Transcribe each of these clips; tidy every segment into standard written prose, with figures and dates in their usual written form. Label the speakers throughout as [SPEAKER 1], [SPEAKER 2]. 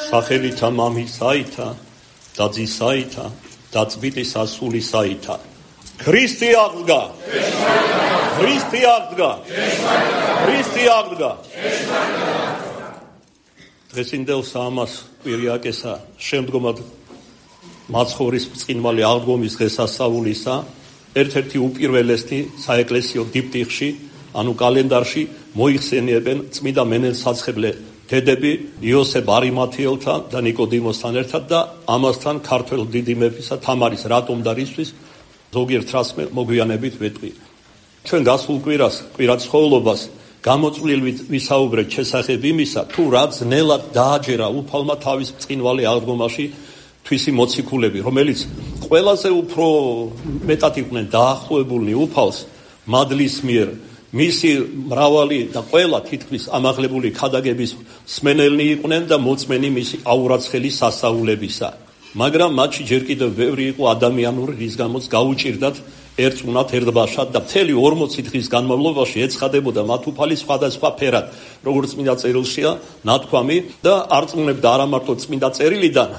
[SPEAKER 1] სახელითა მამისაითა და ძისაითა და წმინდის ასულისაითა. ქრისტე აღდგა! ქრისტე აღდგა! ქრისტე აღდგა! დღესინდელ საამას კვირიაკესა შემდგომად მაცხოვრის ბრწყინვალე აღდგომის დღესასწაულისა ერთ-ერთი უპირველესი საეკლესიო დიპტიხში, ანუ კალენდარში მოიხსენიებენ წმინდა მენელსაცხებლე დედები იოსებ არიმათიელთან და ნიკოდიმოსთან ერთად და ამასთან ქართველ დიდი მეფისა თამარის რატომ და რისთვის ზოგიერთ რას მოგვიანებით ვეტყვი. ჩვენ გასულ კვირაცხოვლობას გამოწვლილ ვისაუბრეთ შესახებ იმისა, თუ რა ძნელად დააჯერა უფალმა თავის ბრწყინვალე აღდგომაში თვისი მოციქულები, რომელიც ყველაზე უფრო მეტად იყვნენ დაახლოებულნი უფალს მადლის მიერ, მისი მრავალი და ყველა თითქმის ამაღლებული ქადაგების მსმენელნი იყვნენ და მოწმენი მისი აურაცხელი სასწაულებისა. მაგრამ მათში ჯერ კიდევ ბევრი იყო ადამიანური, რის გამოც გაუჭირდათ ერწმუნათ ერთბაშად და მთელი 40 დღის განმავლობაში ეცხადებოდა მათ უფალი სხვადასხვა ფერად, როგორც წმინდა წერილშია ნათქვამი და არწმუნებდა არა მარტო წმინდა წერილიდან,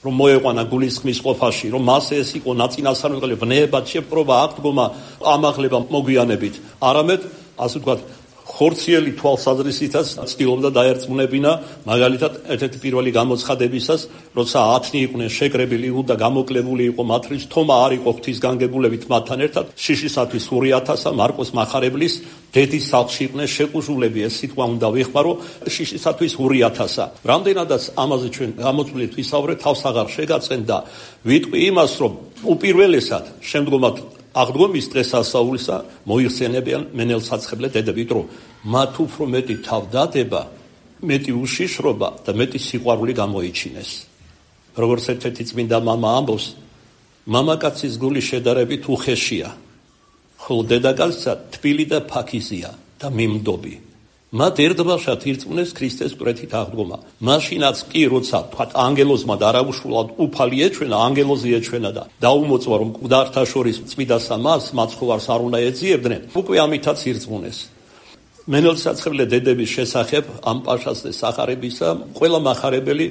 [SPEAKER 1] რომ მოეყვანა გულისხმის ყოფაში, რომ მასე ეს იყო ნაწინასწარმეტყველე ვნებად შეპყრობა, აღდგომა, ამაღლება მოგვიანებით, არამედ ასე ვთქვათ ხორციელი თვალსაზრისითაც ცდილობდა დაერწმუნებინა, მაგალითად ერთ-ერთი პირველი გამოცხადებისას, როცა 10 იყვნენ შეკრებილი და გამოკლებული იყო მათთვის, თომა არ იყო ღვთისგანგებულებით მათთან ერთად, შიშისათვის 2,000-ა მარკოს მახარებლის დედის სახლში იყვნენ შეკუჟულები, ეს სიტყვა უნდა ვიხმარო, შიშისათვის 2,000-ა. რამდენადაც ამაზე ჩვენ გამოწვლით ვისაუბრეთ, თავს აღარ შეგაწენ და ვიტყვი იმას, რომ უპირველესად შემდგომად აღდგომის დღესასწაულისა მოიხსენებიან მენელსაცხებლე დედები, რომ მათ უფრო მეტი თავდადება, მეტი უშიშრობა და მეტი სიყვარული გამოიჩინეს. როგორც ერთ-ერთი წმინდა მამა ამბობს, მამაკაცის გული შედარებით უხეშია, ხოლო დედაკაცსა თბილი და ფაქიზია და მიმდობი. მათ ერთბაშად ირწმუნეს ქრისტეს კვეთით აღდგომა. მაშინაც კი, როცა თქვათ ანგელოზმა და არაუშულად უფალი ეჩვენა, ანგელოზი ეჩვენა და დაუმოწვა, რომ მკვდართა შორის წმიდასა მას მაცხოვარს არ უნდა ეძიებდნენ, უკვე ამითაც ირწმუნეს. მენელსაცხებლე დედების შესახებ ამ პაშას სახარებისა ყველა მახარებელი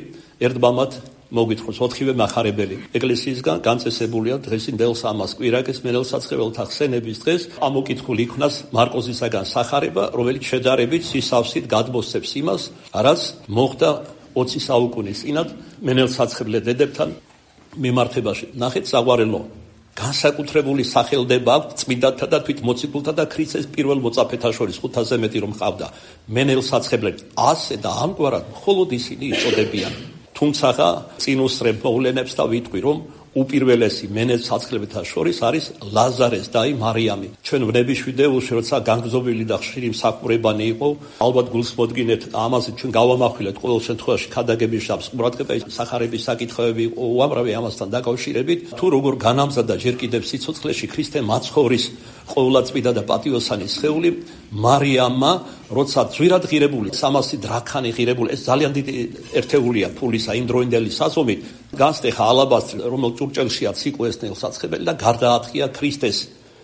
[SPEAKER 1] ერთბამად მოგვითხრობს, 4-ვე მახარებელი ეკლესიისგან განწესებულია დღესინდელ სამას კვირაკეს მენელსაცხებელთა ხსენების დღეს ამოკითხული იქნას მარკოზისაგან სახარება, რომელიც შედარებით სისავსით გადმოსცემს იმას, რაც მოხდა 20 საუკუნის წინათ მენელსაცხებლე დედებთან მიმართებაში. ნახეთ საგვარელო განსაკუთრებული სახელდება აქვს წმინდათა და თვით მოციქულთა და ქრისტეს პირველ მოწაფეთა შორის 500-ზე მეტი რომ ყავდა მენელსაცხებლე. ასე და ამგვარად მხოლოდ ისინი იწოდებიან. თუმცა წინ უსწრებ მოვლენებს და ვიტყვი, რომ უპირველესი მენელსაცხლებელთა შორის არის ლაზარეს და მარიამი. ჩვენ ვნების ვიდეოში, როცა განგზობილი და ხშირი მსახურებანი იყო, ალბათ გულს მოდგინეთ, ამაზე ჩვენ გავამახვილეთ ყოველ შემთხვევაში ქადაგების შაბს ყურადღება, სახარების საკითხები იყო უამრავი ამასთან დაკავშირებით, თუ როგორ განამზადა ჯერ კიდევ სიცოცხლეში ქრისტე მაცხოვრის ყოვლადწმიდა და პატიოსანი სხეული მარიამმა, როცა ძვირად ღირებული 300 დრაქანი ღირებული, ეს ძალიან დიდი ერთეულია ფულისა იმ დროინდელი საზომით, განსტეხა ალაბასტრი, რომელიც ჭურჭელშია ციკო ეს მენელსაცხებელი და გარდაათხია ქრისტეს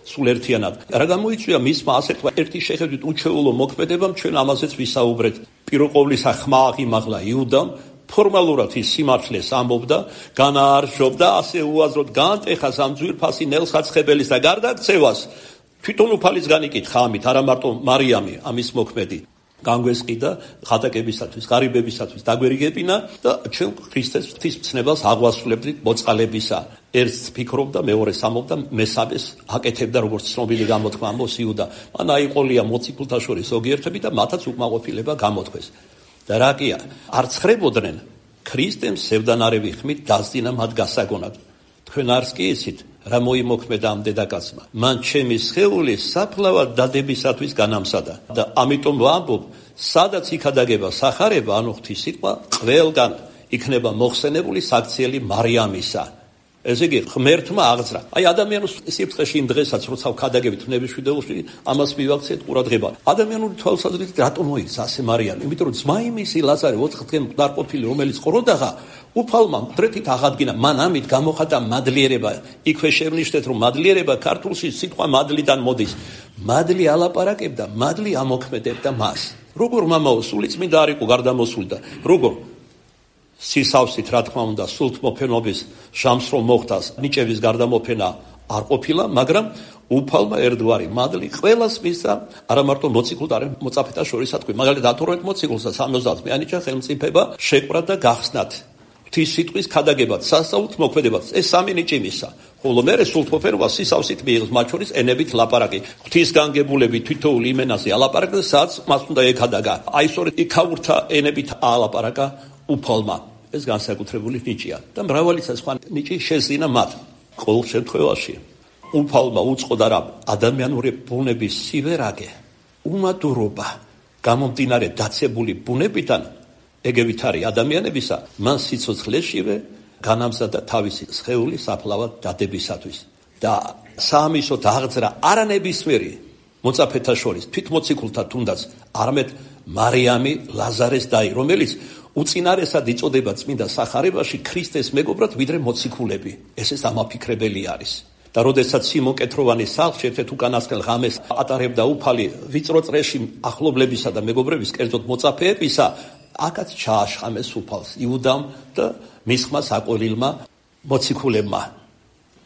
[SPEAKER 1] სულ ერთიანად. რა გამოიწვია მისმა ასე თქვა ერთი შეხედვით უჩვეულო მოქმედებამ, ჩვენ ამაზეც ვისაუბრეთ. პირველყოვლისა ხმა აღიმაღლა იუდამ, ფორმალურად ის სიმართლეს ამბობდა, განაარსობდა, ასე უაზროდ განტეხას ამ ძვირფასი ნელსაცხებელის და გარდაქცევას თვითონ უფალის განიკითხა ამით, არა მარტო მარიამი ამის მოქმედი. განგვესყიდა ხატაკებისათვის, ღარიბებისათვის დაგვერიგებინა და ჩვენ ქრისტეს ღვთისმცნებას აღვასრულებდით მოწყალებისა. ერთს ფიქრობდა, მეორეს ამბობდა, მესამეს აკეთებდა, როგორც ცნობილი გამოთქმა ამბობს იუდა. მან აიყოლია მოციქულთა შორის ზოგიერთები და მათაც უკმაყოფილება გამოთქვეს. და რა კია, არ ცხრებოდნენ ქრისტემ სევდანარევი ხმით დასძინა მათ გასაგონად. თქვენ არც კი იცით, რა მოიმოქმედა ამ დედაკაცმა. მან ჩემი სხეული საფლავად დადებისათვის განამზადა და ამიტომ ვამბობ, სადაც იქადაგება სახარება, ანუ ღვთის სიტყვა, ყველგან იქნება მოხსენებული საქციელი მარიამისა. ესე იგი, ღმერთმა აღძრა. აი ადამიანის სიბრწყეში იმ დღესაც, როცა ვქადაგებით ვნების ვიდეოში, ამას მივაქციეთ ყურადღება. ადამიანური თვალსაზრისით რატომ მოიქცა ასე მარიამი? იმიტომ რომ ძმა იმისი ლაზარე 4 დღე მკვდარყოფილი, რომელიც ყროდაღა, უფალმა მკვდრეთით აღადგინა. მან ამით გამოხატა მადლიერება. იქვე შევნიშნეთ, რომ მადლიერება ქართულში სიტყვა მადლიდან მოდის. მადლი ალაპარაკებდა, მადლი ამოქმედებდა მას. როგორ მამაო, სული წმინდა არ იყო გარდამოსული და როგორ სისავსით, რა თქმა უნდა, სულთმოფენობის ჟამს რომ მოხდას, ნიჭების გარდამოფენა არ ყოფილა, მაგრამ უფალმა ერთგვარი მადლი ყველას მისცა, არა მარტო მოციქულთა, არამედ მოწაფეთა შორისათქვი. მაგალითად 12 მოციქულსა 70 მიანიჭა ხელმწიფება შეკვრა და გახსნათ ღვთის სიტყვის ქადაგებად, სასწაულთ მოქმედებად. ეს სამი ნიჭი მისცა. ხოლო მერე სულთმოფენობა სისავსით მიიღეს, მათ შორის ენებით ლაპარაკი. ღვთისგანგებულები თითოეულ იმენაზე ალაპარაკა, სადაც მას უნდა ეკადაგა. აი სწორედ იქაურთა ენებით ალაპარაკა უფალმა. ეს განსაკუთრებული ნიჭია და მრავალისა სხვა ნიჭი შეძინა მათ. ყოველ შემთხვევაში უფალმა უწყოდა რა ადამიანური ბუნების სივერაგე, უმადურობა, გამომდინარე დაცებული ბუნებიდან, ეგევით არის ადამიანებისა, მან სიცოცხლეშივე განამზადა თავისი სხეული საფლავად დადებისათვის და საამისოდ აღძრა არანებისმიერი მოწაფეთა შორის თვით მოციქულთა თუნდაც არამედ მარიამი ლაზარეს დაი, რომელიც უწინარესად იწოდება წმინდა სახარებაში ქრისტეს მეგობრად ვიდრე მოციქულები. ეს ამაფიქრებელი არის. და როდესაც სიმონ კეთროვანის სახლში ერთ-ერთ უკანასკნელ ღამეს ატარებდა უფალი ვიწრო წრეში ახლობლებისა და მეგობრების, კერძოდ მოწაფეებისა, აქაც ჩააშხამეს უფალს იუდამ და მის ხმა საყოვილმა მოციქულებმა.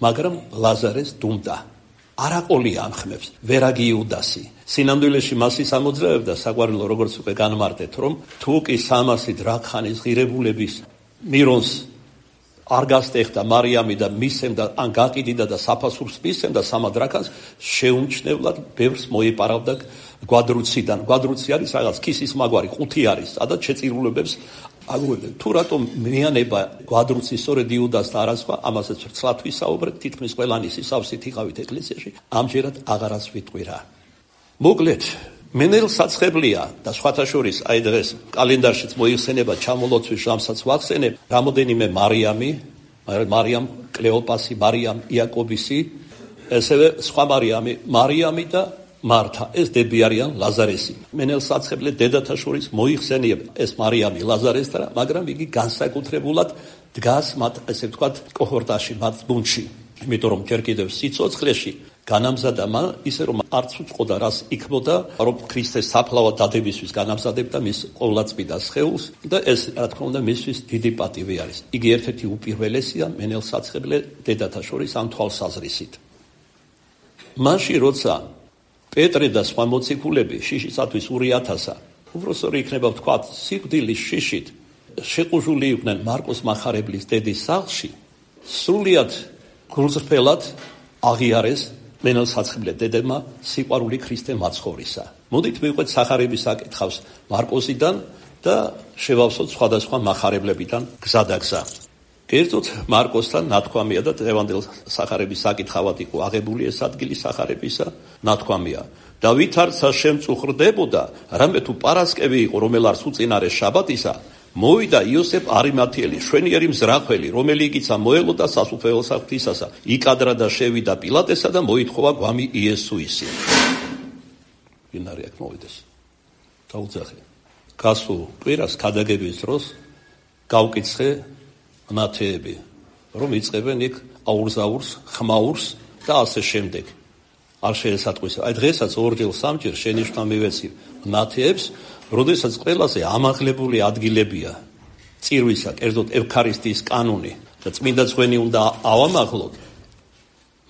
[SPEAKER 1] მაგრამ ლაზარეს დუმდა. არაყოლია ამ ხმებს, ვერაგი იუდასი. სინამდვილეში მას ის ამოძრავებდა საყვარელო, როგორც უკვე განმარტეთ, რომ თუ კი 300 დრაქხანის ღირებულების მირონს არ გასტეხდა მარიამი და მისცემდა, ან გაყიდიდა და საფასურს მისცემდა 3 დრაქანს, შეუმჩნევლად ბევრს მოიპარავდა გვადრუციდან. გვადრუცი არის რაღაც ქისის მაგვარი, ყუთი არის, სადაც შეწირულებებს აგუებდნენ. თუ რატომ მეანება გვადრუცი სწორედ იუდას და არა სხვა, ამასაც ვრცლად ვისაუბრეთ, თითქმის ყველანი სისავსით იყავით ეკლესიაში, ამჯერად აღარაც ვიტყვირა. მოკლედ, მენელსაცხებლია და სხვათა შორის აი დღეს კალენდარშიც მოიხსენება ჩამოლოცვის ჟამსაც ვახსენებ რამოდენიმე მარიამ კლეოპასი, მარიამ იაკობისი, ესევე სხვა მარიამი და მართა, ეს დები არიან ლაზარესი. მენელსაცხებლე დედათა შორის მოიხსენიებ ეს მარიამი ლაზარესთან, მაგრამ იგი განსაკუთრებულად დგას მათ, ესე ვთქვათ, კოჰორტაში, მათ გუნდში. იმიტომ რომ ჯერ კიდევ სიცოცხლეში განამზადა მან ისე რომ არც უწყოდა რას იქმოდა, რომ ქრისტეს საფლავად დადებისთვის განამზადებდა მის ყოვლადწმიდა სხეულს და ეს რა თქმა უნდა მისთვის დიდი პატივი არის. იგი ერთ-ერთი უპირველესია მენელსაცხებლე დედათა შორის ამ თვალსაზრისით. მაშინ როცა პეტრე და სხვა მოციქულები შიშისათვის 2,000-ა, უბრალოდ იქნება ვთქვათ, სიკვდილის შიშით შეყუჟული იყვნენ მარკოს მახარებლის დედის სახლში, სრულიად გულწრფელად აღიარეს მენელსაცხებლე დედებმა სიყვარული ქრისტე მაცხოვრისა. მოდით მივყვეთ სახარების საკითხავს მარკოსიდან და შევავსოთ სხვადასხვა მახარებლებიდან გზადაგზა. კერძოდ მარკოსთან ნათქვამია და დღევანდელ სახარების საკითხავად იყო აღებული ეს ადგილი სახარებისა, ნათქვამია. და ვითარცა შემწუხრდებოდა, რამე თუ პარასკევი იყო, რომელარს უწინარეს შაბათისა, მოვიდა იოსებ არიმათიელი, შვენიერი მზრახველი, რომელიღიცა მოელოდა სასუფეველსა ღვთისასა, იკადრა და შევიდა პილატესა და მოითხოვა გვამი იესუისი. ვინ არის აქ მოვიდეს? დაუძახე. გასულ კვირას ქადაგების დროს გავკითხე ნათეები, რომ იწყებენ იქ აურზაურს, ხმაურს და ასე შემდეგ. არ შეესატყვის. აი დღესაც ორჯერ სამჯერ შენიშვნა მივეცი ნათეებს, როდესაც ყველაზე ამაღლებული ადგილებია წირვისა, კერძოდ ევქარისტიის კანონი და წმინდა ძღვენი უნდა ავამაღლოთ,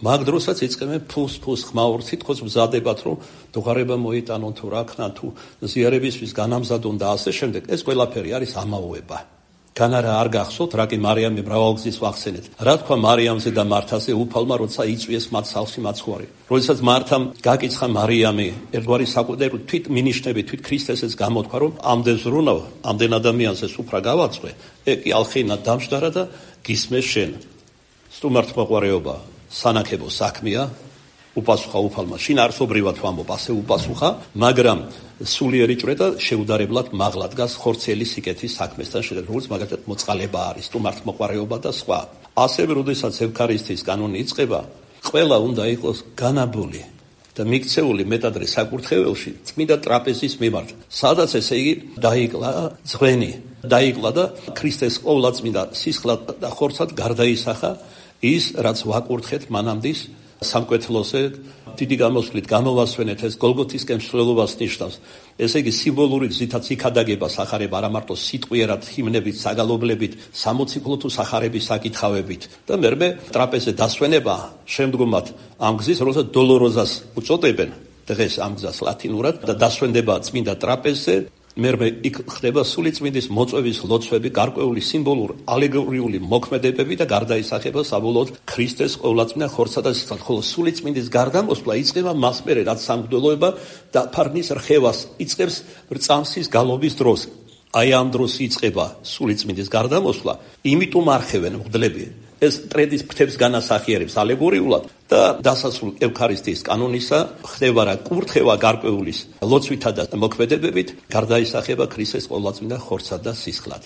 [SPEAKER 1] მაგ დროსაც იწყებენ ფუს ხმაურს, თითქოს მზადებათ, რომ დუღარება მოიტანონ თუ რა ქნა, თუ ზიარებისთვის განამზადონ და ასე შემდეგ. ეს ყველაფერი არის ამაოება. განარა არ გახსოვთ, რა კი მარიამი მრავალგზის ვახსენეთ. რა თქვა მარიამზე და მართაზე უფალმა, როცა იწვიეს მათ სახლში მაცხვარი. როდესაც მართამ გაკიცხა მარიამი, ერთგვარი საკუთარი თვით მინიშნები, თვით ქრისტესეც გამოთქვა, რომ ამდენ ზრუნავ, ამდენ ადამიანზე სუფრა გავაწყვე, ეკი ალხენა დამშდარა და გისმე შენ. სტუმართ მოყვარეობა, სანაკებო საქმეა, უპასუხა უფალმა. შინ არსობრივად ვამბობ, ასე უპასუხა, მაგრამ სულიერი ჭრე და შეუდარებლად მაღლა დგას ხორცელი სიკეთის საქმესთან შედარებით, როგორც მაგალითად მოწყალება არის, სტუმართ მოყვარეობა და სხვა. ასევე, როდესაც ევქარისტიის კანონი იწყება, ყველა უნდა იყოს განაბული და მიქცეული მეტადრე საკურთხეველში წმინდა ტრაპეზის მიმართ, სადაც ესე იგი დაიკლა ძღვენი, დაიკლა და ქრისტეს ყოვლადწმინდა სისხლად და ხორცად გარდაისახა ის, რაც ვაკურთხეთ მანამდის სამკვეთლოზე დიდი გამოსვლით გამოვასვენეთ ეს გოლგოთისკენ მსვლელობას ნიშნავს. ესე იგი სიმბოლური გზითაც იქადაგება სახარება არა მარტო სიტყვიერად ჰიმნებით, საგალობლებით, სამოციქულო თუ სახარების საკითხავებით. და მერმე ტრაპეზე დასვენება შემდგომად ამ გზის როცა დოლოროზას უწოდებენ დღეს ამ გზას ლათინურად და დასვენდება წმინდა ტრაპეზზე მერმე იქ ხდება სულიწმინდის მოწვევის ლოცვები, გარკვეული სიმბოლური ალეგორიული მოქმედებები და გარდაისახება საბოლოოდ ქრისტეს ყოვლადწმინდა ხორცსა და სისხლს. ხოლო სულიწმინდის გარდამოსვლა იწყება მას მერე, რაც სამღვდელოება და ფარნის რხევას იწყებს რწამსის გალობის დროს. აი ამ დროს იწყება სულიწმინდის გარდამოსვლა, იმიტომ არხევენ მღვდლები ეს ტრედის ფრთებს განასახიერებს ალეგორიულად და დასასრულ ევქარისტიის კანონისა ხდება რა კურთხევა გარკვეულის ლოცვითა და მოქმედებებით გარდაისახება ქრისტეს ყოვლადწმინდა ხორცსა და სისხლად.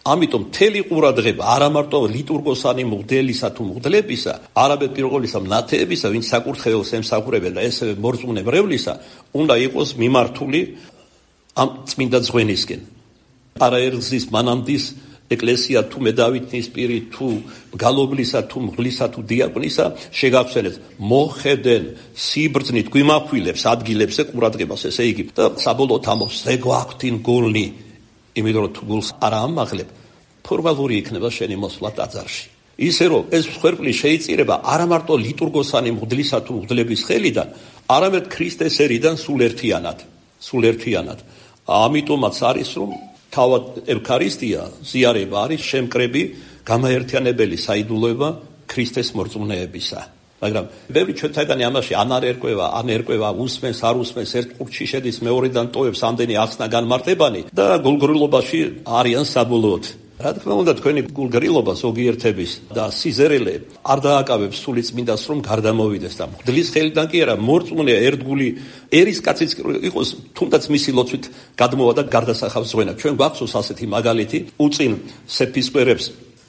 [SPEAKER 1] ამიტომ მთელი ყურადღება არა მარტო ლიტურგოსანი მღვდელისა თუ მღვდლებისა, არამედ პირველისა მნათეებისა, ვინც საკურთხეველს ემსახურებენ და ესევე მორწმუნე მრევლისა, უნდა იყოს მიმართული ამ წმინდა ძღვენისკენ. არაერთგზის მანამდის ეკლესია თუ მედავითის პირი თუ გალობლისა თუ მღვდლისა თუ დიაკვნისა შეგახსენეთ მოხედენ სიბრძნით გვიმახვილებს ადგილებზე ყურადღებას ესე იგი და საბოლოოდ ამბობს ზეგვაქვთინ გულნი იმიტომ რომ თუ გულს არ ამაღლებ ფორმალური იქნება შენი მოსვლა ტაძარში ისე რომ ეს მსხვერპლი შეიწირება არა მარტო ლიტურგოსანი მღვდლისა თუ მღვდლების ხელიდან არამედ ქრისტეს ერიდან სულ ერთიანად ამიტომაც არის რომ თავად ევქარისტია ზიარება არის შემკრები გამაერთიანებელი საიდუმლოება ქრისტეს მორწმუნეებისა. მაგრამ ბევრი ჩვენთაგანი ამაში ან ერკვევა, უსმენს, არ უსმენს, ერთ ყურჩი შედის, მეორედან ტოვებს ამდენი ახსნა განმარტებანი და გულგრილობაში არიან საბოლოოდ. რა თქმა უნდა თქვენი გულგრილობა ზოგიერთების და სიზერელე არ დააკავებს სულიწმინდას რომ გარდამოვიდეს და მღვდლის ხელიდან კი არა მორწმუნეა ერთგული ერისკაციც იყოს თუნდაც მისი ლოცვით გადმოვა და გარდასახავს ზღვენა. ჩვენ გვახსოვს ასეთი მაგალითი უწინ სეფისკვერებს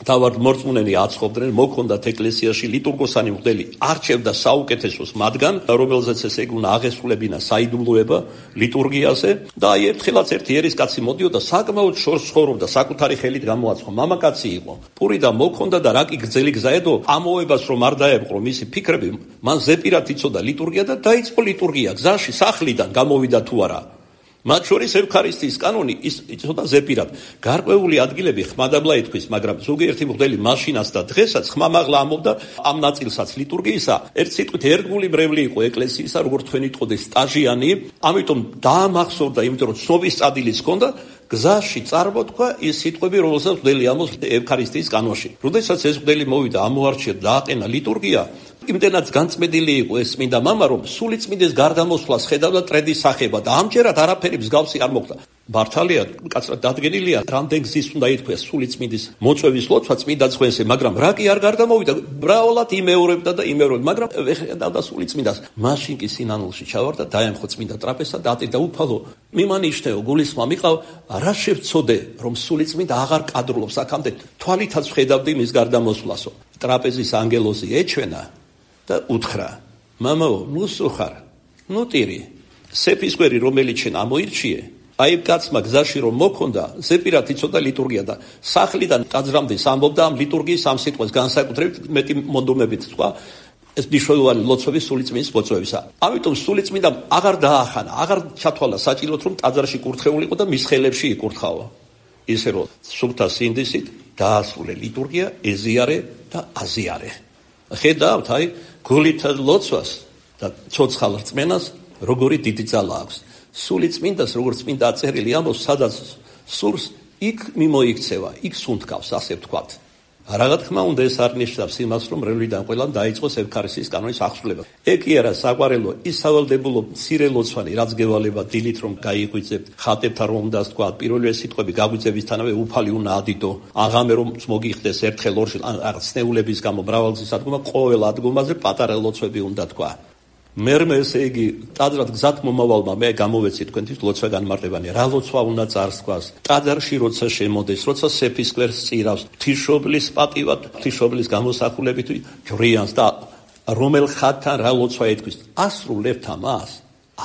[SPEAKER 1] თავად მორწმუნენი აცხობდნენ მოქონდათ ეკლესიაში ლიტურგოსანი მღვდელი არჩევდა საუკეთესოს მათგან რომელზეც ესე იგი უნდა აღესრულებინა საიდუმლოება ლიტურგიაზე და აი ერთხელაც ერთი ერისკაცი მოდიოდა საკმაოდ შორს ცხოვრობდა საკუთარი ხელით გამოაცხო მამაკაცი იყო პური და მოქონდა და რა კი გრძელი გზა ედო ამოებას რომ არ დაეპყრო მისი ფიქრები მან ზეპირად იცოდა ლიტურგია და დაიწყო ლიტურგია გზაში სახლიდან გამოვიდა თუ არა მათ შორის ევქარისტიის კანონი იცოდა ზეპირად. გარკვეული ადგილები ხმადაბლა ითქვის, მაგრამ ზოგიერთი მღვდელი მაშინაც და დღესაც ხმამაღლა ამბობდა ამ ნაწილსაც ლიტურგიისა. ერთ სიტყვით ერთგული მრევლი იყო ეკლესიისა, როგორც თქვენ იტყოდეს სტაჟიანი, ამიტომ დაამახსოვრდა, იმიტომ რომ ცნობის წადილიც ჰქონდა, გზაში წარმოთქვა ის სიტყვები, რომელსაც მღვდელი ამბობს ევქარისტიის კანონში. როდესაც ეს მღვდელი მოვიდა, ამოარჩია და აყენა ლიტურგია, იმდენად განწმენდილი იყო ეს წმინდა მამა, რომ სულიწმინდის გარდამოსვლას ხედავდა ტრედის სახება და ამჯერად არაფერი მსგავსი არ მოხდა. მართალია, კაცრად დადგენილია, რამდენ გზის უნდა ითქვეს სულიწმინდის მოწვევის ლოცვა წმინდა ძღვენზე, მაგრამ რა კი არ გარდამოვიდა, მრავალად იმეორებდა და იმეორებდა, მაგრამ ხედავდა სულიწმინდას. მაშინ კი სინანულში ჩავარდა, დაემხო წმინდა ტრაპეზსა და ატირდა უფალო, მიმანიშნეო, გულისხმა მიყავ, რა შევწოდე, რომ სულიწმინდა აღარ კადრულობს აქამდე, თვალითაც ხედავდი მის გარდამოსვლასო. ტრაპეზის ანგელოზი ეჩვენა და უთხრა, მამაო, ნუ სუხარ, ნუ ტირი, სეფისკვერი რომელიც შენ ამოირჩიე, აი კაცმა გზაში რომ მოქონდა, ზეპირად იცოდა ლიტურგია და სახლიდან ტაძრამდე ამბობდა ამ ლიტურგიის ამ სიტყვას განსაკუთრებით მეტი მონდომებით თქვა, ეს მნიშვნელოვანი ლოცვების სულიწმინდის მოწვევისა. ამიტომ სულიწმინდამ აღარ დაახანა, აღარ ჩათვალა საჭიროდ რომ ტაძარში კურთხეულიყო და მის ხელებში იკურთხავა. ისე რომ სულთა სინდისით დაასრულე ლიტურგია, ეზიარე და აზიარე. ხედავთ, აი გულით ლოცვას და ცოცხალ რწმენას როგორი დიდი ძალა აქვს. სულიწმინდას როგორც წმინდა აწერილი ამბობს, სადაც სურს, იქ მიმოიქცევა, იქ სუნთქავს, ასე ვთქვათ. რა თქმა უნდა ეს არ ნიშნავს იმას, რომ მრევლიდან ყველამ დაიწყოს ევქარისტიის კანონის აღსრულება. ეგ კი არა საყვარელო, ის სავალდებულო მცირე ლოცვანი, რაც გევალება დილით რომ გაიღვიძებთ, ხატებთან რომ უნდა თქვა, პირველი სიტყვები გაგვიძებისთანავე უფალი უნდა ადიდო, აღამე რომ მოგიხდეს ერთხელ ორში, რაღაც სნეულების გამო მრავალგზის ადგომა, ყოველ ადგომაზე პატარა ლოცვები უნდა თქვა. მერმე ესე იგი ტაძრად გზად მომავალმა მე გამოვეცი თქვენთვის ლოცვა განმარტებანი რა ლოცვა უნდა წარსქვას ტაძარში როცა შემოდეს როცა სეფისკვერს წირავს ღვთისმშობლის პატივად ღვთისმშობლის გამოსახულებით ჯვრიანს და რომელ ხატთან რა ლოცვა ეთქვის ასრულებთ ამას